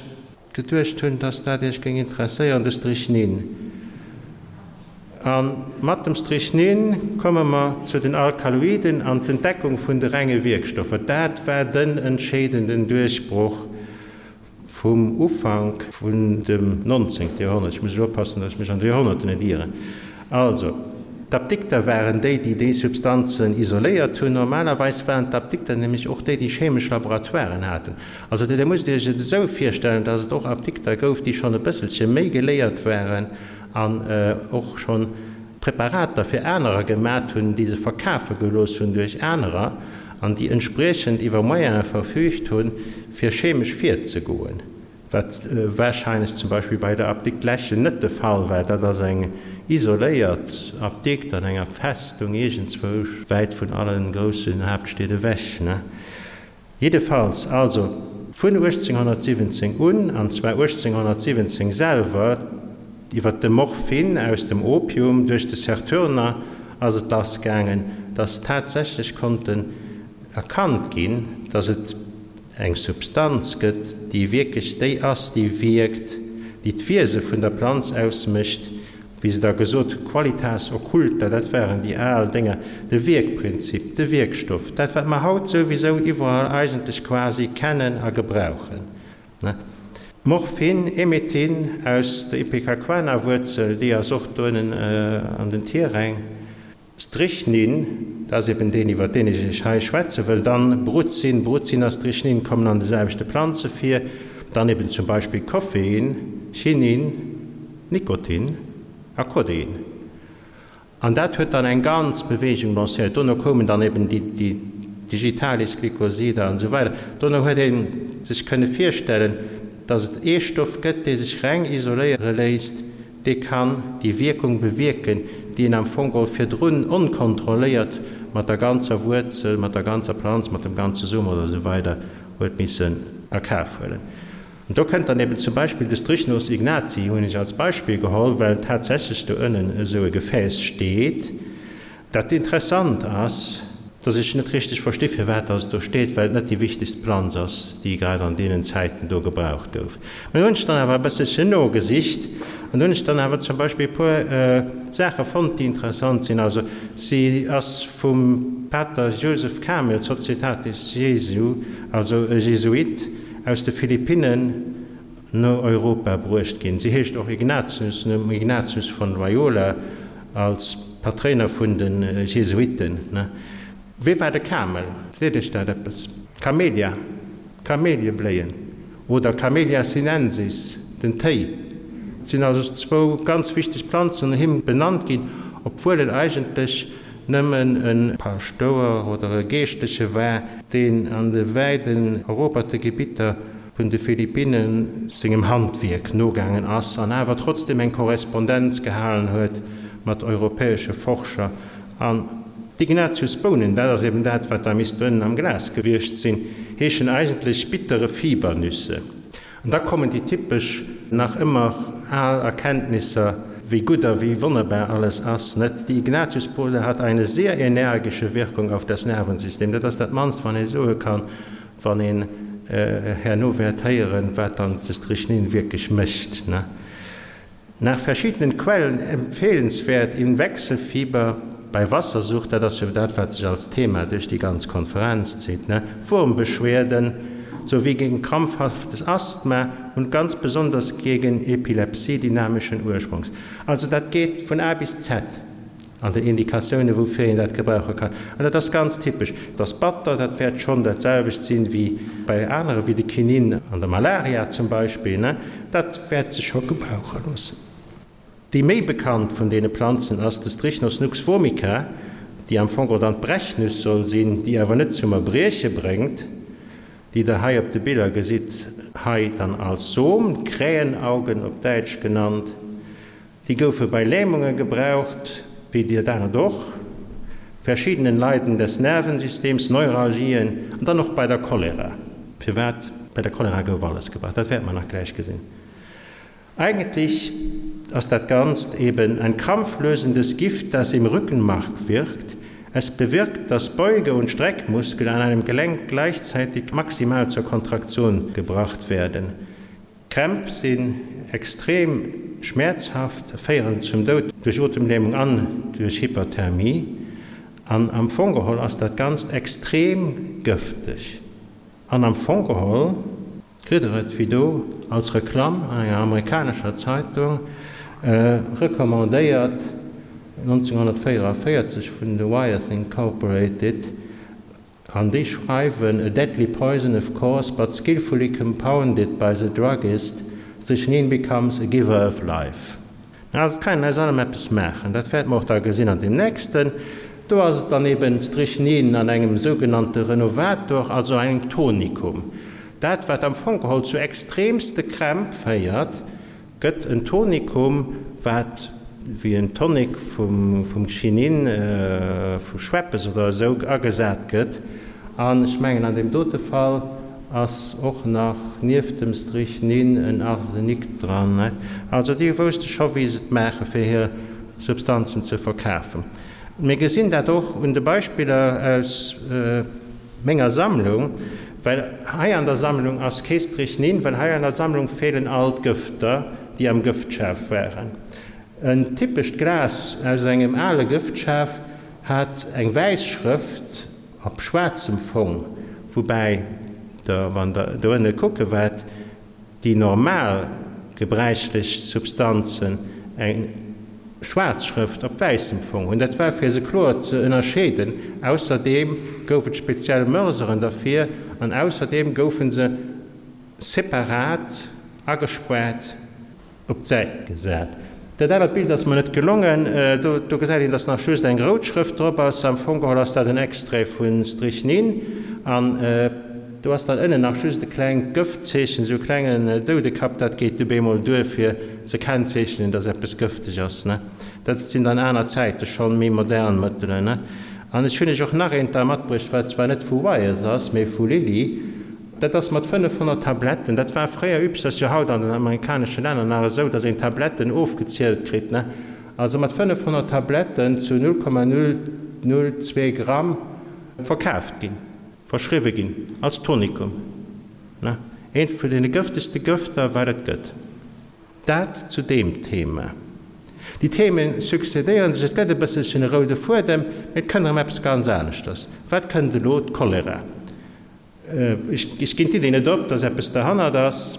Geduecht hunn, dass dat Iech géing interesséieren, de Strychnin. A mat dem Strychnin komme mer zu den Alkaloiden an d'Entdeckung vun de renge Wierkstoffer. Dat war den entscheedenden Duerchbroch vum Ufank vun dem 19. Joerhonnert. Ech muss elo oppassen, dass ech mech an de Joerhonnerten net ieren. Also, d'Apdikter waren déi, déi déi Substanzen isoléiert hunn. Normalerweis waren d'Apdikter nämlech och déi, déi chemesch Laboratoiren haten. Also Dir musst Iech et esou virstellen, dass et och Apdikter gouf, déi schonn e bësselche méi geléiert waren an och schonn Preparater fir anerer gemat hunn, déi se verkafe gelooss hunn duerch anerer an déi entspriechend iwwer Moyene verfügt hunn, fir chemesch virzegoen, wat warscheinlech zum Beispill bei der Apdikt Lechel net de Fall war. Dat ass eng isoléiert Apdikt an enger Festung iergendzwousch wäit vun alle groussen Haaptstied ewech. Jiddefalls also vun 1817 un, an zwar 1817 selwer, iwwer de Morphin aus dem Opium duerch de Sertürner ass et lass gaangen, dass tatsächlech konnten erkannt ginn, dass et eng Substanz gëtt, déi wierklech déi ass, déi wierkt, déi d'Wiese vun der Planz ausmécht. wéi se da gesot hu qualitas occulta, dat waren déi al Dénger, de Wierkprinzip, de Wierkstoff, dat wat mer haut souwisou iwwerall eigentlech quasi kennen a gebrauchen. Morphin, Emetin aus der Ipecacuana-Wuerzel, déi ass och do ënnen an den Tierräng. Strychnin, dat ass eben deen, iwwer deen ech Iech hei schwätze wëll. Dann Brucin, Brucin a Strychnin kommen an de selwechte Planze vir. Dann eben zum Beispill Koffein, Chinin, Nikotin a Codein. An dat huet dann eng ganz Bewegung lancéiert. Dono koumen dann eben déi Digitalis-Glykosider an esou weider. Dono huet ee sech kënne virstellen, datt et ee Stoff gëtt, dee sech reng isoléiere léisst, dee kann déi Wierkung bewierken, déi een am Fong geholl virdrun onkontrolléiert mat der ganzer Wuerzel, mat der ganzer Planz, mat dem ganze Som oder esou weider huet missen a Kaf huelen. An do kënnt dann eben zum Beispill de Strychnos ignatii, hunn ech als Beispill geholl, well tatsächlech do ënnen esou e Gefääss steet, Dat interessant ass, dass ech net richteg versti firwat dass et do steet, well et net déi wichtegst Planz ass, déi grad an deenen Zäiten do gebraucht gouf. Mä do hunn ech dann awer e bësselchen nogesicht an do hunn ech dann awer zum Beispill e puer Saache fonnt, déi interessant sinn. Also si ass vum Pater Joseph Kamel, Societatis Jesu, also e Jesuit aus de Philippinnen, no Europa bruecht ginn. Si heescht och Ignatius, nom Ignatius von Loyola als Patréiner vun de Jesuiten. Wee war de Kamel? Seet Iech dat eppes? Camellia, Kameliebléien, oder Camellia sinensis, den Téi, sinn also zwou ganz wichteg Planzen no him benannt ginn, obwuel en eigentlech nëmmen e Paschtouer oder e Geeschtleche war, deen an de wäiten eroberte Gebitter vun de Philippinnen sengem Handwierk nogaangen ass an awer trotzdem eng Korrespondenz gehalen huet mat europäesche Forscher. An d'Ignatiusbounen, dat ass eben dat, wat da misst ënnen am Glas gewiescht sinn, heeschen eigentlech bittere Fibernüsse. An da kommen déi typesch, nach ëmmer al Erkenntnisser, wéi gutt a wéi wonnerbar alles ass, net? Die Ignatiusbohne hat eine sehr energische Wirkung auf das Nervensystem. Dat ass dat mannst, wann ee soe kann, Wann een herno wäert héieren, wat dann de Strychnin wierklech mécht, ne? Nach verschiedenen Quellen empfehlenswert im Wechselfieber, bei Wassersucht, dat ass jo dat, wat sech als Thema duerch déi ganz Konferenz zitt, ne? Wurmbeschwerden sowie gegen krampfhaftes Asthma und ganz besonders gegen Epilepsie dynamischen Ursprungs. Also dat geet vun A bis Z. An den Indikatiounen, woufir een dat gebrauche kann. An dat ass ganz typesch. Dat ass batter, dat wäert schonn dat selwecht sinn, wéi bei anere wéi de Kinin an der Malaria zum Beispill, ne? Dat wäert sech scho gebrauche loossen. Déi méi bekannt vun deene Planzen ass de Strychnos nux vomica, déi am Fong och dann d'Brechnüss soll sinn, déi awer net zum Erbrieche bréngt, déi Der hei op de Biller gesitt, hei dann als Som, Krähenaugen op Däitsch genannt. Déi goufe bei Lähmunge gebraucht, wéi dat anert och, verschiedenen Leiden des Nervensystems, Neuralgien an dann och bei der Cholera. Firwat? Bei der Cholera gouf alles gebraucht, dat wäerte mer nach gläich gesinn. Eigentlich ass dat Ganzt eben ein krampflösendes Gift, das im Rückenmark wirkt. Es bewirkt, dass Beuge und Streckmuskel an einem Gelenk gleichzeitig maximal zur Kontraktion gebracht werden. Krämp sinn extrem schmäerzhaft, féieren zum Doud duerch Otemlämung an duerch Hyperthermie. An am Fong geholl ass dat Ganzt extrem gëfteg. An am Fong geholl kritt der et wéi do als Reklamm an enger amerikanescher Zeitung recommandéiert, 1944 vun de Wyeth Incorporated, An déi schreiwen, A deadly poison of course, but skillfully compounded by the druggist, strychnine becomes a giver of life. Also et kann een aus allem eppes maachen. Dat wäerte mer och da gesinn an deem nächsten. Do ass et dann eben Strychnin an engem sougenannte Renovator, also engem Tonikum. Dat, wat am Fong geholl zu extremste Krämp féiert, Gëtt en Tonikum, wat wéi en Tonic vum Chinin, vu Schweppes oder esou agesat gëtt. An ech mengen an deem dote Fall ass och nach nieft dem Strychnin en Arsenik dran. Also déi wousste scho wéi se et maache fir hir Substanzen ze verkafen. Mir gesinn dat och un de Beispiller aus. Menger Sammlung, well hei an der Sammlung ass kee Strychnin, well hei an der Sammlung feelen all d'Gëfter, déi am Gëftschaf waren. En typescht Glas aus engem ale Gëftschaf hat eng wäiss Schrëft op schwaarzem Fong, woubäi der, wann der do ënne kucke waart, déi normal gebräichlech Substanzen eng schwaarz Schrëft op wäissem Fong hunn. Dat war fir se kloer ze ënnerscheeden. Ausserdeem gouf et speziell Mörseren derfir an ausserdeem goufe se separat agespuart. Op d'Säit gesat. Dat anert Bild ass mer net gelongen. Do gesäit een, dass nach just eng rout Schrëft drop ass. Am Fong geholl ass dat en Extrait vu Strychnine. An do ass dann ënnen nach just e klengt Gëftzeechen, esou e klengen Doudekapp. Dat geet du bemol duer, fir ze kennzeechnen, dass eppes gëfteg ass. Dat sinn dann aner Zäite schonn, méi modern Mëttelen. An ech hunn iech och nach eent da matbruecht, wat zwar net vu Wyeth ass, mee vu Lilly. Dat ass mat 500 Tabletten. Dat war fréier üblech, dat ass jo haut an den amerikanesche Länner nach esou, datt een Tabletten ofgezielt kritt, ne? Also mat 500 Tabletten zu 0,002 Gramm verkaaft ginn, verschriwwe ginn als Tonikum, ne? Eent vun deene gëftegste Gëfter, wat et gëtt. Dat zu deem Thema. Déi Theme succédéiere sech, et gëtt e bësselchen e roude Fuedem, mee et kënnt erëm eppes ganz aneschters. Wat kënnt elo? D'Cholera. Ech ginn d'Iddi net op, dass eppes derhannert ass.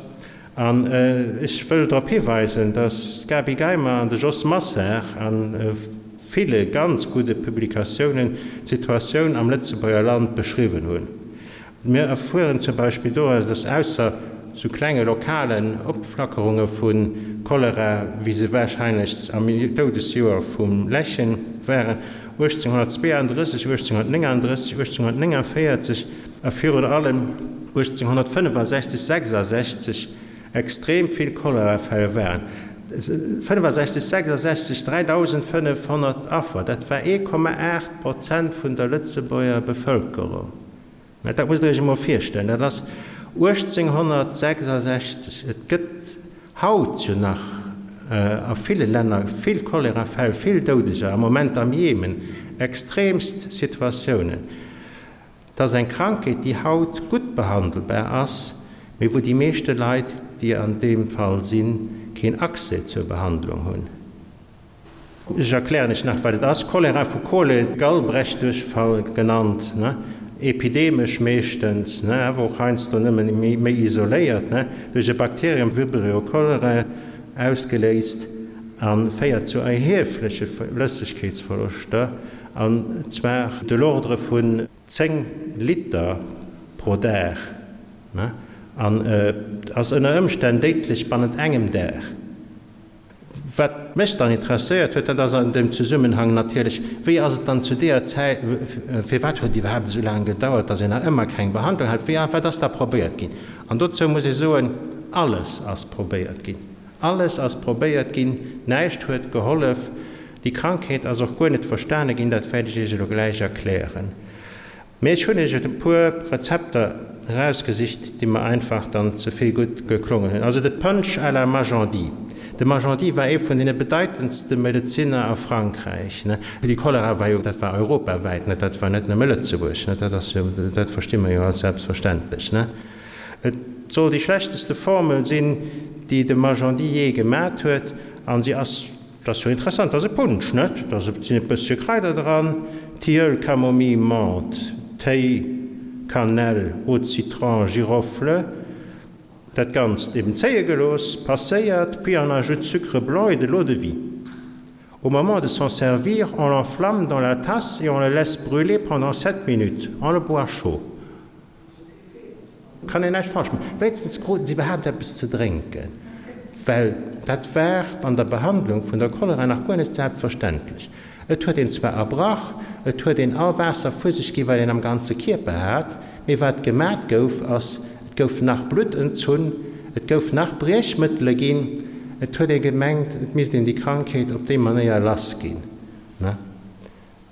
An ech wëll drop hiweisen, dass d'Gaby Geimer an de Jos Massard a ville ganz gudde Publikatiounen d'Situatioun am Lëtzebuerger Land beschriwwen hunn. Mir erfueren zum Beispill doraus, dass ausser sou klenge lokalen Opflackerunge vu Cholera, wéi se warscheinlech am Doudesjoer vum Lächen waren, 1832, 1839, 1849 a virun allem 1865, 66 extrem vill Cholerafäll waren. 65, 66, 3.500 Affer, dat war 1,8 Prozent vun der Lëtzebuerger Bevëlkerung. Mä dat musst Der Iech emol virstellen, dat ass 1866. Et gëtt haut jo nach a ville Länner vill Cholerafäll, vill Doudeger, am Moment am Jemen, extremst Situatiounen. Et ass eng Krankheet, déi haut gutt behandelbar ass, mee wou déi meeschte Leit, déi an deem Fall sinn, keen Accès zur Behandlung hunn. Ech erklären iech nach, wat et ass. Cholera vu Chole, Gallbrechduerchfall genannt, ne, epidemesch meeschtens, ne, awer och heiansdo nëmmen méi isoléiert, ne, duerch e Bakterium, Vibrio cholerae, ausgeléist a féiert zu erhiefleche Flëssegkeetsverloschter, an zwar de l'ordre vun 10 Liter pro Dag, ne, an ass ënner Ëmstänn déidlech bannent engem Dag. Wat mech dann interesséiert huet, dat ass an deem Zesummenhang natierlech, Wéi ass et dann zu deeër Zäit, firwat huet et iwwerhaapt esou laang gedauert, datt een nach ëmmer keng Behandlung hat? Wéi, wat ass da probéiert ginn? An dozou muss ee soen, Alles ass probéiert ginn. Alles ass probéiert ginn, näischt huet gehollef. Déi Krankheet ass och guer net verstane ginn, dat wäert ech Iech elo gläich erklären. Mee ech hunn iech e puer Rezepter erausgesicht, déi mer einfach dann ze vill gutt geklongen hunn. Also de Punch à la Magendie. De Magendie war ee vun deene bedeitendste Medezinner a Frankräich. Déi Cholera war jo, dat war europawäit, dat war net nëmme Lëtzebuerg, dat ass jo, dat versti mer jo als selbstverständlech. Et soll déi schlechteste Formel sinn, déi de Magendie jee gemat huet, an si ass Dat ass jo interessant, dat ass e Punsch, net? Da sinn e bëssche Kraider dran, Tilleul, Camomille, Menthe, Téi, Cannelle, Eau de citron, Girofle. Dat Ganzt eben zéie gelooss, passéiert, puis on ajoute sucre blanc et de l'eau de vie. Au moment de s'en servir, on l'enflamme dans la tasse et on le laisse brûler pendant 7 minutes. On le boit chaud. Kann een näischt falsch maachen. Wéinstens kruten se iwwerhaapt eppes ze drénken, well dat war an der Behandlung vun der Cholera nach guer net selbstverständlech. Et huet een zwar erbrach, et huet een all Waasser vu sech ginn, wat een am ganze Kierper hat, mee wat gemat gouf, ass, et gouf nach Blutt entzunn, et gouf nach Briechmëttele ginn, et huet ee gemengt, et misst een déi Krankheet op déi Manéier lass ginn.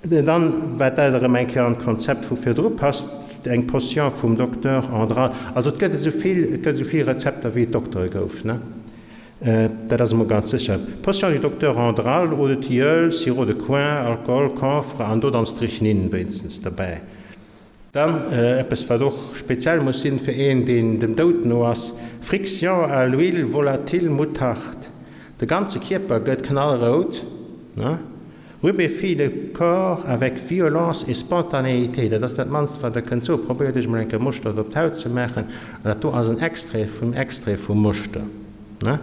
Dann, wat dat erëm eng Kéier an d'Konzept vu virdru passt, eng Potion vum Docteur Andral. Also et gëtt esou vill, et gëtt esou vill Rezepter wéi et Doktere gouf, ne? Dat ass emol ganz sécher. Potion du Docteur Andral, Eau de tilleul, Sirop de coing, Alcool, Camphre an do dann Strychnine wéinstens derbäi. Dann eppes wat och speziell muss sinn fir een deen dem Doud no ass, Friction à l'huile volatile moutarde. De ganze Kierper gëtt knallrout, ne? Rubéfie le corps avec violence et spontanéité. Dat ass dat mannst, wat Der kënnt soen. Probéiert Iech emol eng Kéier Moschtert op d'Haut ze maachen. An dat do ass en Extrait vum Extrait vum Moschter, ne?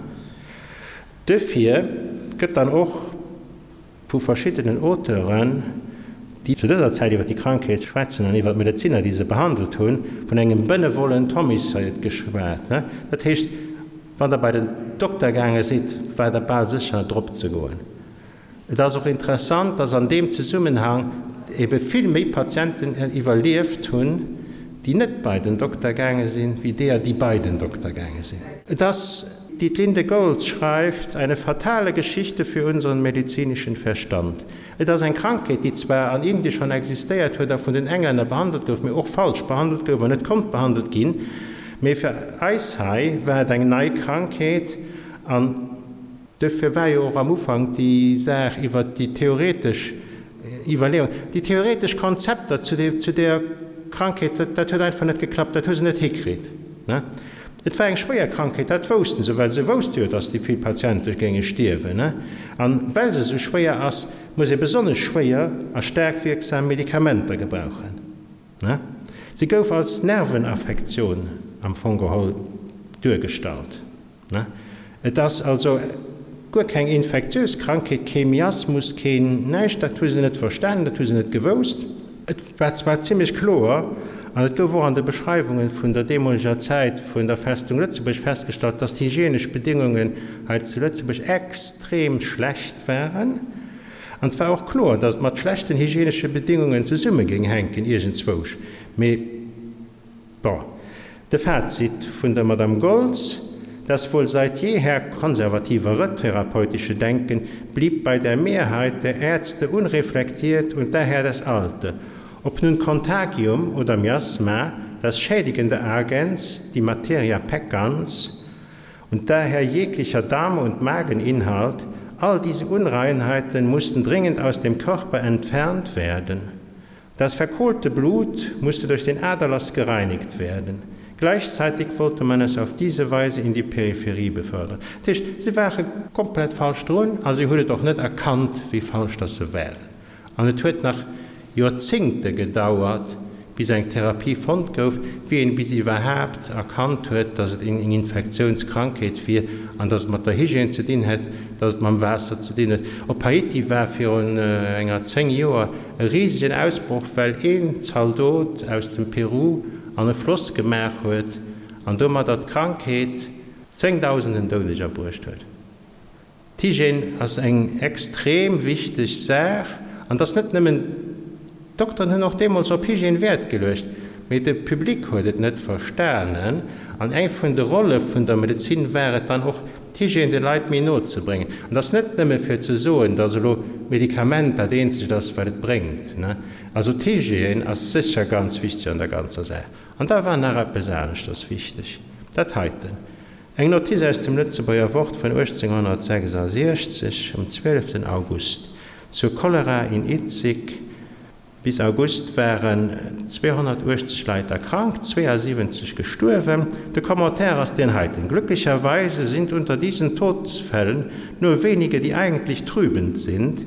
Duerfir gëtt dann och vu verschiddenen Auteuren, déi zu dëser Zäit iwwer déi Krankheet schwätzen an iwwer d'Medezinner, déi se behandelt hunn, vun engem benevolent homicide geschwat. Dat heescht, wann Der bei den Dokter gaange sidd, war Der bal sécher drop ze goen. Et ass och interessant, dass an deem Zesummenhang ebe vill méi Patienten iwwerlieft hunn, déi net bei den Dokter gaange sinn, wéi deeër, déi bei den Dokter gaange sinn. Et ass, Dietlinde Goltz schreift, eine fatale Geschichte für unseren medizinischen Verstand. Et ass eng Krankheet, déi zwar an Indie schonn existéiert huet a vun den Englänner behandelt gouf, mee och falsch behandelt gouf an net konnt behandelt ginn. Mee fir eis hei war et eng nei Krankheet an Duerfir war jo och am Ufank déi Saach iwwert déi theoretesch Iwwerleeung, déi theoretesch Konzepter zu där Krankheet, dat huet einfach net geklappt, dat hu se net hikritt. Et war eng schwéier Krankheet, dat wousste se, well se wousste jo, datt déi vill Patiente géinge stierwen. A well se esou schwéier ass, muss ee besonnesch schwéier a staark wierksam Medikamenter gebrauchen. Si gouf als Nervenaffektioun am Fong geholl duergestallt. Et ass also guer keng infektiös Krankheet, kee Miasmus, keen näischt. Dat hu se net verstanen, dat hu se net gewousst. Et war zwar zimlech kloer, an et gouf och an de Beschreiwunge vun der deemoleger Zäit vun der Festung Lëtzebuerg festgestallt, dass d'hygienesch Bedéngungen hei zu Lëtzebuerg extrem schlecht waren. An et war och kloer, dass et mat schlechten hygienesche Bedéngungen zesumme géing hänken iergendzwousch. Mee. Bon, de Fazit vun der Madame Goltz, Das wohl seit jeher konservativere therapeutische Denken blieb bei der Mehrheit der Ärzte unreflektiert und daher das alte. Ob nun Contagium oder Miasma, das schädigende Agens, die Materia peccans und daher jeglicher Darm- und Mageninhalt, all diese Unreinheiten mussten dringend aus dem Körper entfernt werden. Das verkohlte Blut musste durch den Aderlass gereinigt werden. Gleichzeitig wollte man es auf diese Weise in die Peripherie befördern. Dat heescht, si ware komplett falsch drun a si hunn et och net erkannt, wéi falsch dass se waren. An et huet nach Joerzéngte gedauert, bis eng Therapie fonnt gouf, wéi een bis iwwerhaapt erkannt huet, dass et eng Infektiounskrankheet wier an dass et mat der Hygiène ze dinn hätt, dass et mam Waasser ze dinn huet. Op Haiti war virun enger 10 Joer E risegen Ausbroch, well een Zaldot aus dem Peru an e Floss gemaach huet an domadder d'Krankheet zéngdausenden Doudeger bruecht huet. D'Hygiène ass eng extrem wichteg Saach an et ass net nëmmen, d'Dokteren hunn och deemools op Hygiène Wäert geluecht, mee de Public huet et net verstanen an eng vun de Rolle vun der Medezin war et dann och, d'Hygiène de Leit méi no ze bréngen. An et ass net nëmme fir ze soen, datt elo d'Medikament dat eenzegt ass, wat et bréngt. Also d'Hygiène ass sécher ganz wichteg an der ganzer Saach. An da war nach eppes aneschters wichteg, dat heiten, eng Notiz aus dem Lëtzebuerger Wort vun 1866 um 12 August zur Cholera in Itzig, Bis August waren 280 Leit erkrankt, 72 gestuerwen. De Commentaire ass deen heiten, Glücklicherweise sind unter diesen Todesfällen nur wenige, die eigentlich trübend sind.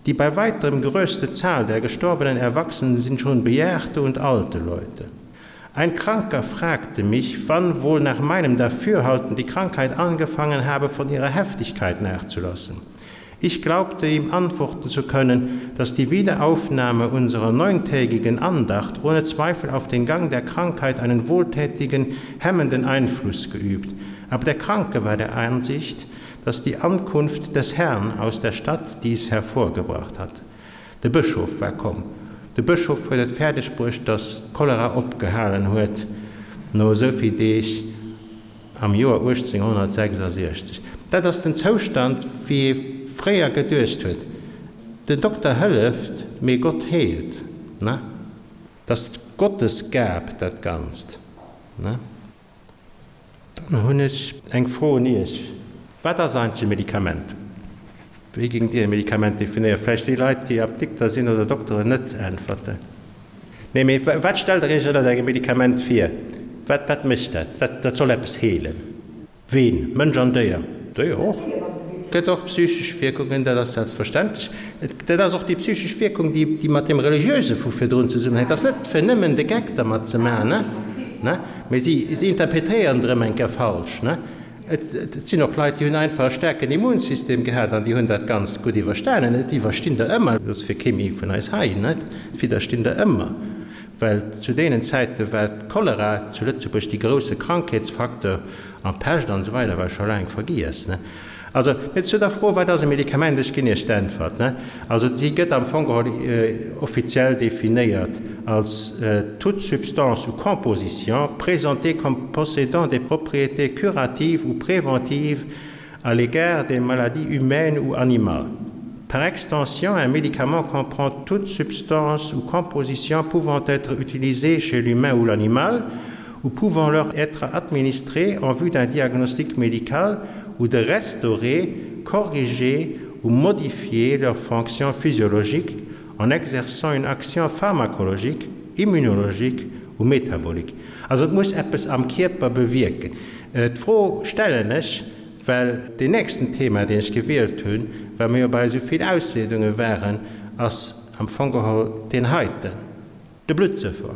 Die bei weitem größte Zahl der gestorbenen Erwachsenen sind schon bejahrte und alte Leute. Ein Kranker fragte mich, wann wohl nach meinem Dafürhalten die Krankheit angefangen habe, von ihrer Heftigkeit nachzulassen. Ich glaubte ihm antworten zu können, dass die Wiederaufnahme unserer neuntägigen Andacht ohne Zweifel auf den Gang der Krankheit einen wohltätigen, hemmenden Einfluss geübt. Aber der Kranke war der Ansicht, dass die Ankunft des Herrn aus der Stadt dies hervorgebracht hat. De Bëschof war komm. De Bëschof huet et fäerdeg bruecht, dass d'Cholera opgehalen huet no esou vill Deeg. Am Joer 1866. Dat ass den Zoustand, wéi ee fréier geduecht huet, Den Dokter hëlleft, mee Gott heelt. Ne? Dat ass d'Gottesgab, dat Ganzt. Ne? Dann hunn ech eng Fro un Iech. Wat ass eigentlech e Medikament? Wéi géingt Dir e Medikament definéieren? Vläicht déi Leit, déi Apdikter sinn oder Dokteren, net äntwerten. Nee, mee wat stellt Der Iech ënnert engem Medikament vir? Wat, wat mécht dat? Dat, dat soll eppes heelen. Ween? Mënsch an Déier? Déier och. Gëtt och psychesch Wierkungen, dat ass selbstverständlech. Dat ass och déi psychesch Wierkung, déi mat deem Religiöse vu virdrun zesummenhänkt. Et ass net fir nëmmen de Geck dermat ze maachen, ne, mee si interpretéieren et erëm eng Kéier falsch, ne. Et sinn och Leit, déi hunn einfach e staarken Immunsystem gehat an déi hunn dat Ganzt gutt iwwerstanen. Et iwwerstinn der ëmmer, dat ass fir kee méi vun eis hei, ne, et widderstinn der ëmmer, well zu deenen Zäite war d'Cholera zu Lëtzebuerg dee grousse Krankheetsfacteur an d'Pescht an esou weider war scho laang vergiess, ne. Also, mee zu der Fro, Wat ass e Medikament? Ech ginn Iech d'Äntwert, ne. Also, si gëtt am Fong geholl offiziell definéiert als toute substance ou composition présentée comme possédant des propriétés curatives ou préventives à l'égard des maladies humaines ou animales. Par extension, un médicament comprend toute substance ou composition pouvant être utilisée chez l'humain ou l'animal ou pouvant leur être administrée en vue d'un diagnostic médical ou de restaurer, corriger ou modifier leur fonction physiologique en exerçant une action pharmacologique, immunologique ou métabolique. Also et muss eppes am Kierper bewierken. D'Fro stellen ech, well deen nächsten Thema, deen ech gewielt hunn, well mir jo bei esou vill Ausleedunge waren, ass am Fong geholl deen heiten. De Bluttsëffer.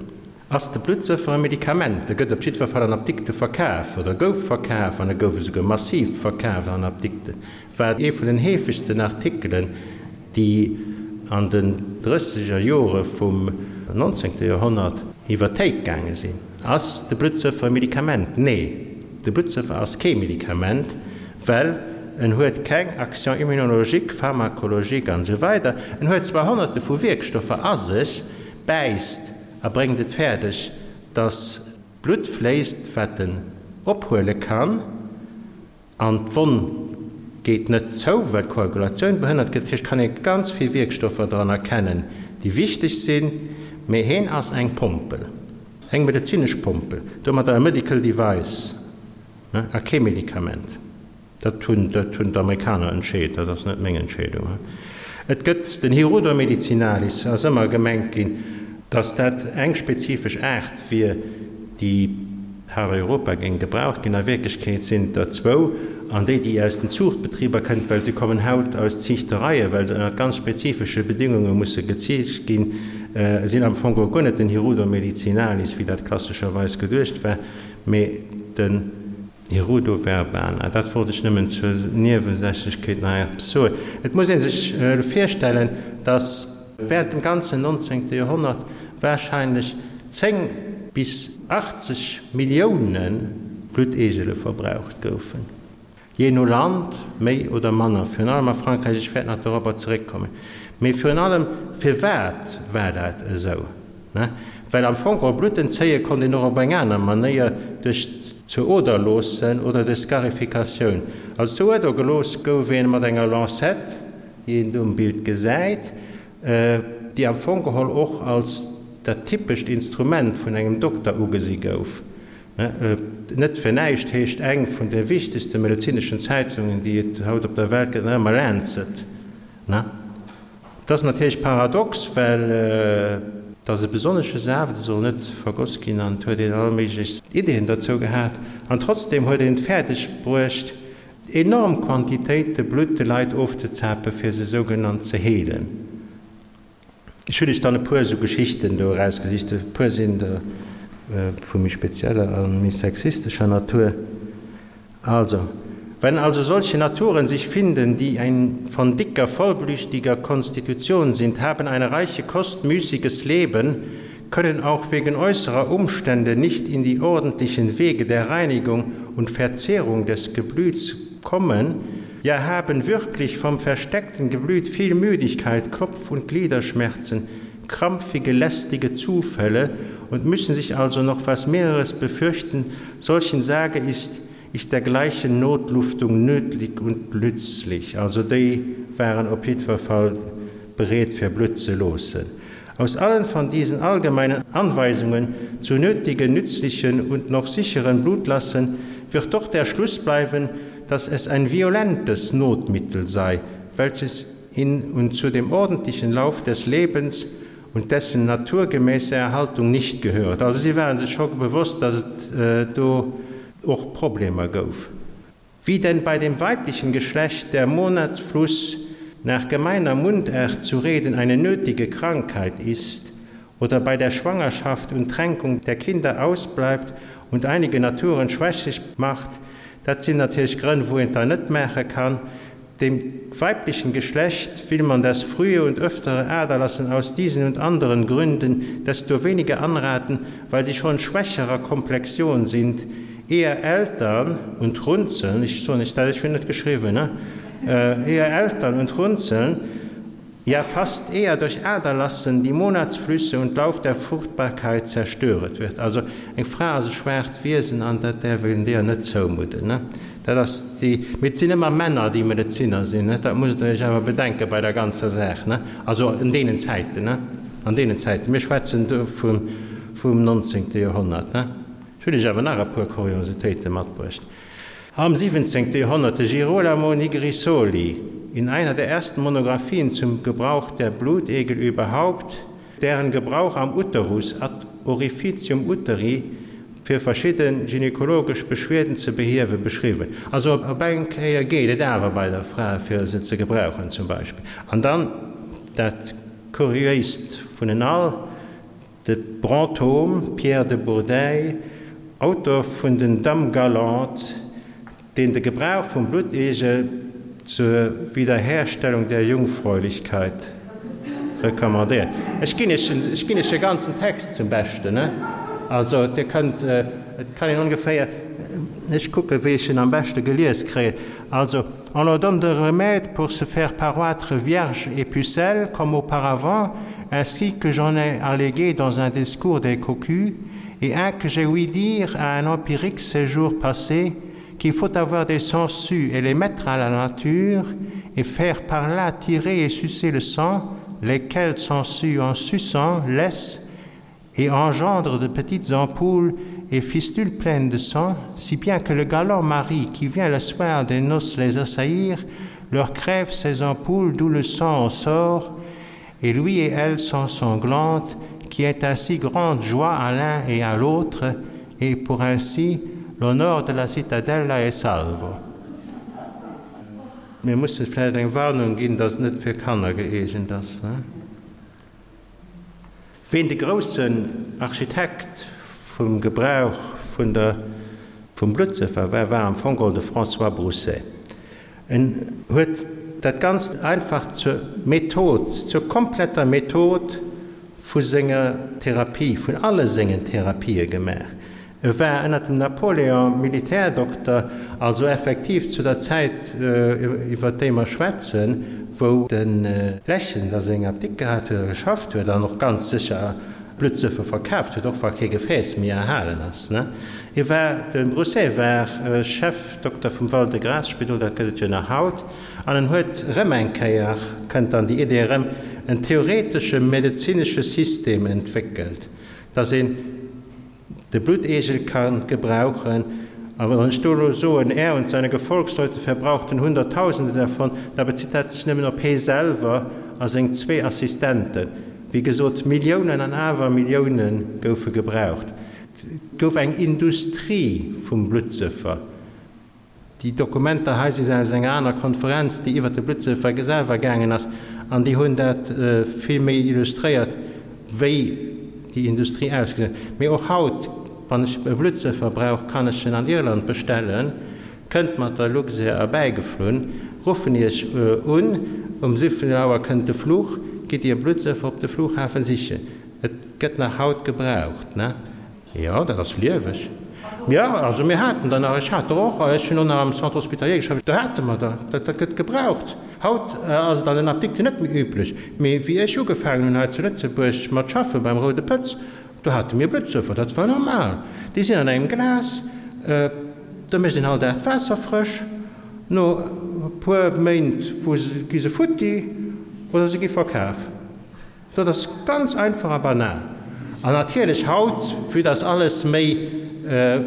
Ass de Bluttsëffer e Medikament? E gëtt op jiddwer Fall an Apdikte verkaf, oder gouf verkaf, an e gouf esouguer massiv verkaf an Apdikten. War ee vun den heefegsten Artikelen, déi an den drësseger Jore vum nonzéngte Joerhonnert iwwer d'Théik gaange sinn. Ass de Bluttsëffer e Medikament? Nee, de Bluttsëffer ass kee Medikament, well en huet keng Action immunologique, pharmacologique an esou weider. En huet zwar Honnerte vu Wierkstoffer a sech, bäisst a bréngt et fäerdeg, dass Blutt fléisst, wat en ophuele kann, an d'Wonn geet net zou, well d'Koagulatioun behënnert gëtt. Dat heescht, kann ee ganz vill Wierkstoffer dran erkennen, déi wichteg sinn, mee heen ass eng Pompel, eng medezinesch Pompel, domadder e medical device a kee Medikament. Dat hunn, dat hunn d'Amerikaner entscheet, dat ass net meng Entscheedung. Et gëtt den Hirudo medicinalis, ass ëmmer gemengt ginn, datt dat eng spezifesch Aart wier, déi an Europa géing gebraucht ginn. A Wierklechkeet sinn et der zwou, an déi, déi aus den Zuuchtbetriber kënnt, well se kommen haut aus Ziichtereien, well se ënnert ganz spezifesche Bedingunge musse geziicht ginn, sinn am Fong geholl guer net den Hirudo medicinalis, wéi dat klassescherweis geduecht war, mee den. Hirudo verbana, dat wollt ech nëmmen zur Niewesächlechkeet nach eppes soen. Et muss ee sech virstellen, datt während dem ganzen nonzéngte Joerhonnert wahrscheinlech 10 bis 80 Millioune Blutteegele verbraucht goufen, jee no Land méi oder manner, virun allem a Frankräich, ech wäert nach dorobber zeréckkommen. Mee virun allem, firwat war dat esou? Well am Fong och Blutt entzéie konnt een och op eng aner Manéier, duerch zur Oder loossen oder duerch Scarificatioun. Also zur Ueder gelooss gouf een mat enger Lancette, déi een do um Bild gesäit, déi am Fong geholl och als dat typescht Instrument vun engem Dokter ugesi gouf. Net fir näischt heescht eng vun de wichtegste medezineschen Zeitungen, déi et haut op der Welt gëtt, nach ëmmer Lancet. Et ass natierlech paradox, well et ass e besonnesche Saaft, e soll net vergoss ginn an et huet een all méiglech Ideeën derzou gehat. An trotzdeem huet een et fäerdeg bruecht, enorm Quantitéite Blutt de Leit ofzezape fir se sougenannt ze heelen. Ech hunn iech dann e puer esou Geschichten do erausgesicht, e puer sinn der vu méi spezieller a méi sexistescher Natur. Also, wenn also solche Naturen sich finden, die ein von dicker, vollblüchtiger Konstitution sind, haben eine reiche Kost, müßiges Leben, können auch wegen äußerer Umstände nicht in die ordentlichen Wege der Reinigung und Verzehrung des Geblüts kommen, ja haben wirklich vom versteckten Geblüt viel Müdigkeit, Kopf- und Gliederschmerzen, krampfige, lästige Zufälle und müssen sich also noch was mehreres befürchten, solchen Sage ist, ist dergleichen Notluftung nötlich und nützlich. Also déi waren op jiddwer Fall bereet fir Blutt ze loossen. Aus allen von diesen allgemeinen Anweisungen zu nötigen, nützlichen und noch sicheren Blutlassen wird doch der Schluss bleiben, dass es ein violentes Notmittel sei, welches in und zu dem ordentlichen Lauf des Lebens und dessen naturgemäße Erhaltung nicht gehört. Also si ware sech scho bewosst, dass et do och Problemer gouf. Wie denn bei dem weiblichen Geschlecht der Monatsfluss nach gemeiner Mundart zu reden eine nötige Krankheit ist oder bei der Schwangerschaft und Tränkung der Kinder ausbleibt und einige Naturen schwächlich macht, dat sinn natierlech Grënn, wou een et dann net maache kann. Dem weiblichen Geschlecht will man das frühe und öftere Aderlassen aus diesen und anderen Gründen desto weniger anraten, weil sie schon schwächerer Komplexion sind, eher Eltern und runzeln, ech soen iech dat, ech hunn net geschriwwen, ne, eher Eltern und runzeln, ja fast eher durch Aderlassen die Monatsflüsse und Lauf der Fruchtbarkeit zerstöret wird. Also eng Fra ass e schwaacht Wiesen an dat däerf een deeër net zoumudden. Ne? Dat ass déi, mee et sinn ëmmer Männer déi Medezinner sinn, ne? Dat musst der iech awer bedenke bei der ganzer Saach, ne? Also an deenen Zäiten, ne? An deenen Zäiten, mir schwätzen do vum, vum nonzéngte Joerhonnert, ne? Ech hunn iech awer nach e puer Kuriositéite matbruecht. Am 17. Joerhonnert de Girolamo Nigrisoli in einer der ersten Monographien zum Gebrauch der Blutegel überhaupt, deren Gebrauch am Uterus, ad orificium uteri, fir verschidde gynekologesch Beschwierden ze behiewen, beschriwwen. Also op eng Kéier geet et awer bei der Fra fir se ze gebrauchen zum Beispill. An dann dat kuriéist vun en all, De Brantôme, Pierre de Bourdeille, Autor vun den Dames galantes, deen de Gebrauch vum Bluttegel zur Wiederherstellung der Jungfräulichkeit recommandéiert. Ech ginn Iech, ech ginn Iech de ganzen Text zum Beschten, ne? Also Dir kënnt, et kann een ongeféier, ech kucke wéi ech en am beschte gelies kréien. Also, On leur donne des remèdes pour se faire paroître vierge et pucelle comme auparavant, ainsi que j'en ai allégué dans un discours des cocus, et un que j'ai ouï dire à un empirique ces jours passés, qu'il faut avoir des sangsues et les mettre à la nature, et faire par là tirer et sucer le sang, lesquels sangsues en suçant laissent et engendre de petites ampoules et fistules pleines de sang, si bien que le galant mari qui vient le soir des noces les assaillir, leur crève ses ampoules d'où le sang en sort, et lui et elle sont sanglantes, qui est ainsi grande joie à l'un et à l'autre, et pour ainsi l'honneur de la citadelle est salvo. Mir musse vläicht eng Warnung ginn, dass et net fir Kanner gëeegent ass. Ween de groussen Architekt vum Gebrauch vun der vum Bluttsëffer war, war am Fong geholl de François Broussais. En huet dat Ganzt einfach zur Method, zur kompletter Method vu senger Therapie, vun alle sengen Therapië gemaach. E war ënnert dem Napoléon Militärdokter, also effektiv zu der Zäit, iwwer déi mer schwätzen, wou de Lächen da seng Apdikt gehat huet a geschafft huet an och ganz sécher Bluttsëffer verkaaft huet, och wa kee Gefääss méi erhalen ass. Hie war, de Broussais war Chefdokter vum Val-de-Grâce-Spidol, dat gëtt et jo nach haut, an en huet erëm eng Kéier, kënnt dann déi Idee erëm, en theoretesche medezinesche System entwéckelt, dass een, De Blutegel kann gebrauchen, a wann ech do elo soen, er und seine Gefolgsleute verbrauchten Hunderttausende davon, da bezitt dat sech nëmmen op hee selwer a seng zwee Assistenten. Wéi gesot, Milliounen an awer Millioune goufe gebraucht. Et gouf eng Industrie vum Bluttsëffer. Déi Dokumenter hei si aus enger aner Konferenz, déi iwwert de Bluttsëffer selwer gaangen ass, an déi hunn dat vill méi illustréiert, wéi déi Industrie ausgesinn huet. Mee och haut, wann ech e Bluttsëffer brauch, kann ech en an Irland bestellen, kënnt mat der Luxair erbäigeflunn, ruffen Iech un, um 17 Auer kënnt de Fluch, gitt Dir e Bluttsëffer op de Flughafen sichen. Et gëtt nach haut gebraucht, ne? Jo, dat ass lieweg. Jo, also mir haten der nach, ech hat der och, ech hunn och nach am Centre hospitalier geschafft, do hate mer der, dat dat gëtt gebraucht. Haut ass et an den Apdikten net méi üblech, mee wéi ech ugefaangen hunn hei zu Lëtzebuerg mat schaffe beim Roude Pëtz, do hate mir Bluttsëffer, dat war normal. Déi sinn an engem Glas, do mécht een all Dag d'Waasser frësch, no e puer Méint wou se, gi se futti oder se gi verkaf. Dat ass ganz einfach a banal. An natierlech haut, vue dass alles méi,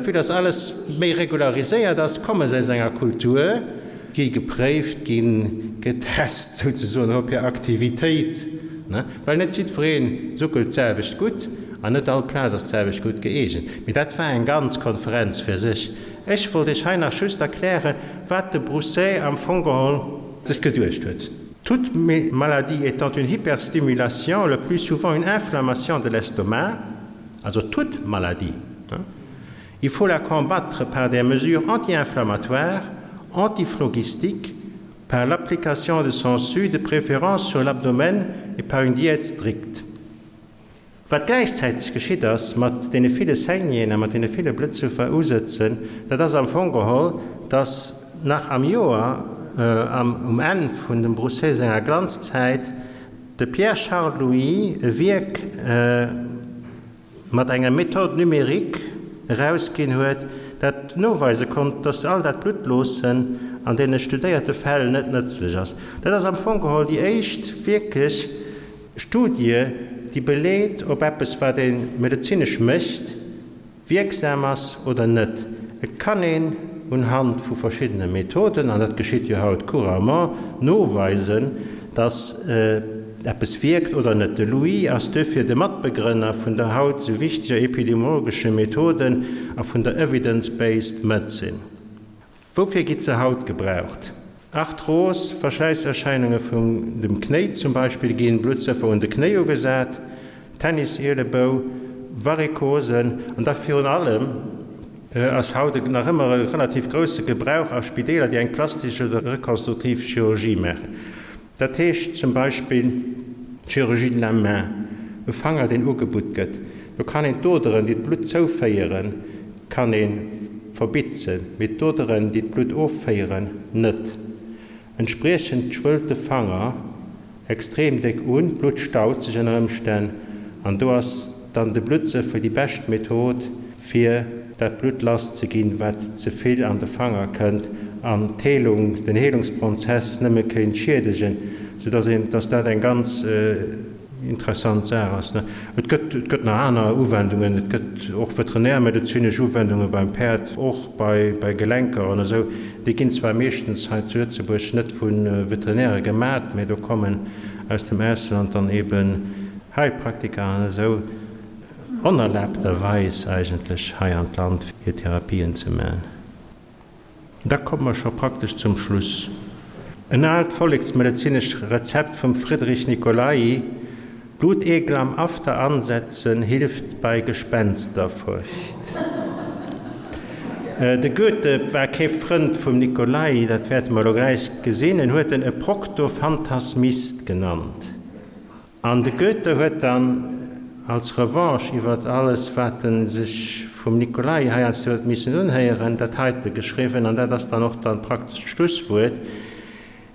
vue dass alles méi regulariséiert ass, komme se aus enger Kultur, gi gepréift, gi getest souzesoen op hir Aktivitéit, ne, well net jiddweree suckelt d'selwecht gutt an net all Plaz ass d'selwecht gutt gëeegent. Mee dat war eng ganz Konferenz fir sech. Ech wollt Iech hei nach just erklären, wat de Broussais am Fong geholl sech geduecht huet. Toute maladie étant une hyperstimulation, le plus souvent une inflammation de l'estomac, also toute maladie, il faut la combattre par des mesures anti-inflammatoires, antiphlogistiques, par l'application de sangsues, de préférence sur l'abdomen et par une diète stricte. Wat gläichzäiteg geschitt ass mat deene ville Saignéeën a mat deene ville Blëtzufer-Usëtzen, dat ass am Fong geholl, dass nach am Joer, um Enn vun dem Broussais senger Glanzzäit, de Pierre Charles Louis e Wierk mat enger Méthode numérique erausginn huet, dat noweise konnt, dass all dat Bluttloossen an deene studéierte Fäll net nëtzlech ass. Dat ass am Fong geholl déi éischt wierklech Studie, déi beleet, ob eppes, wat ee medezinesch mécht, wierksam ass oder net. Et kann een unhand vu verschiddene Methoden, an dat geschitt jo haut couramment, noweisen, dass eppes wierkt oder net. De Louis ass duerfir de Matbegrënner vun der haut esou wichteger epidemiologesche Methoden a vun der Evidence-based Medicine. Woufir gitt se haut gebraucht? Arthros, Verschläisserscheinunge vun dem Knéi zum Beispill, ginn Bluttsëffer un de Knéi ugesat, Tennis-Ielebou, Varikosen an da virun allem ass haut nach ëmmer e relativ grousse Gebrauch a Spideeler, déi eng plastesch oder rekonstruktiv Chirurgie maachen. Dat heescht zum Beispill d'Chirurgie de la main, e Fanger deen ugebutt gëtt, do kann een d'Oderen, déi d'Blutt zouféieren, kann ee verbitzen, mee d'Oderen, déi d'Blutt offéieren, net. Entspriechend schwëllt de Fanger extrem déck un, d'Blutt staut sech ënner Ëmstänn an do ass dann de Bluttsëffel déi bescht Method, fir dat Blutt lass ze ginn, wat ze vill an de Fanger kënnt an d'Heelung, den Heelungsprozess nëmme kéint schiedegen, sou dass een, dass dat eng ganz interessant Saach ass. Et gëtt, et gëtt nach aner Uwendungen, et gëtt och veterinärmedezinesch Uwendunge beim Päerd, och bei, bei Gelenker an esou. Déi ginn zwar meeschtens hei zu Lëtzebuerg net vu Veterinäre gemat, mä do kommen aus dem Ausland dann eben Heilpraktiker an esou. Onerlaabterweis eigentlech hei an d'Land fir Therapien ze man. Da komme mer scho praktesch zum Schluss. En aalt volleksmedezinescht Rezept vum Friedrich Nicolai, Blutegel am After ansetzen hilft bei Gespensterfurcht. De Goethe war kee Frënd vum Nicolai, dat wäerte mer elo gläich gesinn. En huet en e Proktofantasmist genannt. An de Goethe huet dann als Revanche iwwert alles, wat en sech vum Nicolai heiansdo huet missen unhéieren, dat heite geschriwwen, an dat ass dann och dann praktesch d'Schlusswuert,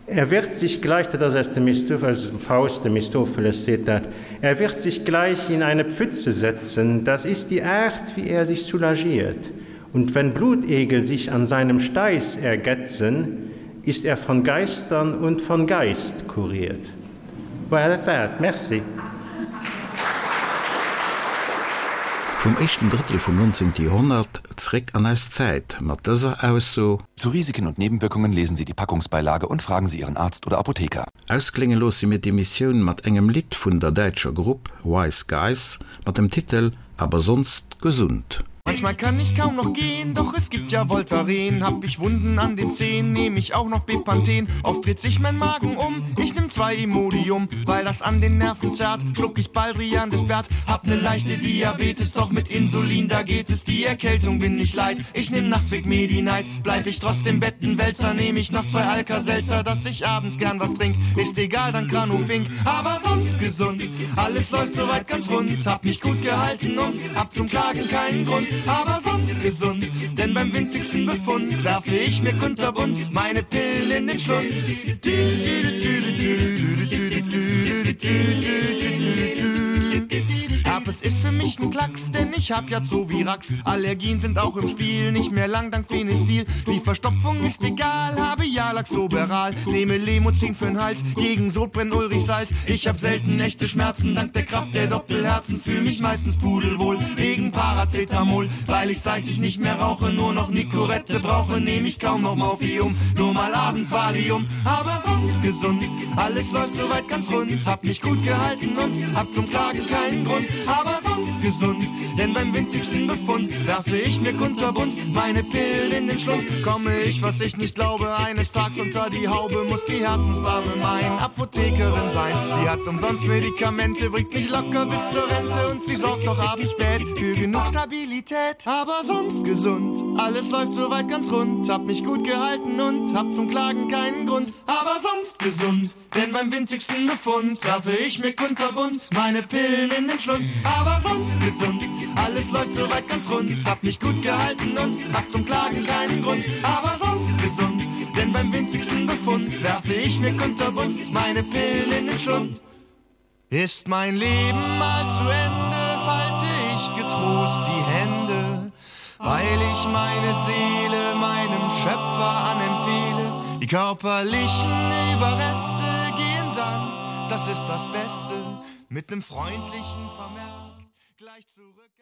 Er wird sich gleich, dat ass aus dem Mephistopheles, aus dem Faust, de Mephistopheles seet dat, er wird sich gleich in eine Pfütze setzen, das ist die Art, wie er sich soulagiert, und wenn Blutegel sich an seinem Steiß ergetzen, ist er von Geistern und von Geist kuriert. Voilà, dat war et. Merci. Vum éischten Drëttel vum 19. Joerhonnert zréck an eis Zäit mat dëser Ausso. Zu Risiken und Nebenwirkungen lesen Sie die Packungsbeilage und fragen Sie Ihren Arzt oder Apotheker. Ausklénge loosse mir d'Emissioun mat engem Lidd vun der däitscher Grupp Wise Guys mat dem Titel Aber sonst gesund. Manchmal kann ich kaum noch gehen, doch es gibt ja Voltaren. Hab ich Wunden an den Zehen, nehme ich auch noch Bepanthen. Oft dreht sich mein Magen um, ich nimm zwei Imodium, weil das an den Nerven zerrt, schluck ich Baldrian des Bert. Hab ne leichte Diabetes, doch mit Insulin, da geht es die Erkältung bin ich leid. Ich nimm nachts Medi Night, bleib ich trotzdem Bettenwälzer, nehme ich noch zwei Alka-Seltzer, dass ich abends gern was trink. Ist egal, dann Granufink, aber sonst gesund. Alles läuft soweit ganz rund, hab mich gut gehalten und hab zum Klagen keinen Grund, aber sonst gesund. Denn beim winzigsten Befund werfe ich mir kunterbunt meine Pille in den Schlund. Du, du, du, du, du, du, du, du, du, du, du, du. Herpes ist für mich ein Klacks, denn ich hab ja Zovirax. Allergien sind auch im Spiel, nicht mehr lang dank Phenestil. Die Verstopfung ist egal, habe ja Laxoberal. Nehme Lemozin für'n Hals, gegen Sodbrenn Ulrich Salz. Ich hab selten echte Schmerzen, dank der Kraft der Doppelherzen. Fühl mich meistens pudelwohl, wegen Paracetamol. Weil ich seit ich nicht mehr rauche, nur noch Nicorette brauche, nehme ich kaum noch Morphium. Nur mal abends Valium, aber sonst gesund. Alles läuft soweit ganz rund, hab mich gut gehalten und hab zum Klagen keinen Grund. Aber. Aber sonst gesund, denn beim winzigsten Befund werfe ich mir kunterbunt meine Pillen in den Schlund. Komme ich, was ich nicht glaube, eines Tags unter die Haube, muss die Herzensdame mein Apothekerin sein. Die hat umsonst Medikamente, bringt mich locker bis zur Rente und sie sorgt doch abends spät für genug Stabilität. Aber sonst gesund, alles läuft soweit ganz rund, hab mich gut gehalten und hab zum Klagen keinen Grund. Aber sonst gesund, denn beim winzigsten Befund werfe ich mir kunterbunt meine Pillen in den Schlund. Aber sonst gesund, alles läuft soweit ganz rund, hab mich gut gehalten und hab zum Klagen keinen Grund. Aber sonst gesund, denn beim winzigsten Befund werfe ich mir kunterbunt meine Pillen in den Schlund. Ist mein Leben mal zu Ende, falte ich getrost die Hände, weil ich meine Seele meinem Schöpfer anempfehle. Die körperlichen Überreste gehen dann, das ist das Beste, mit nem freundlichen Vermerk gleich zurück.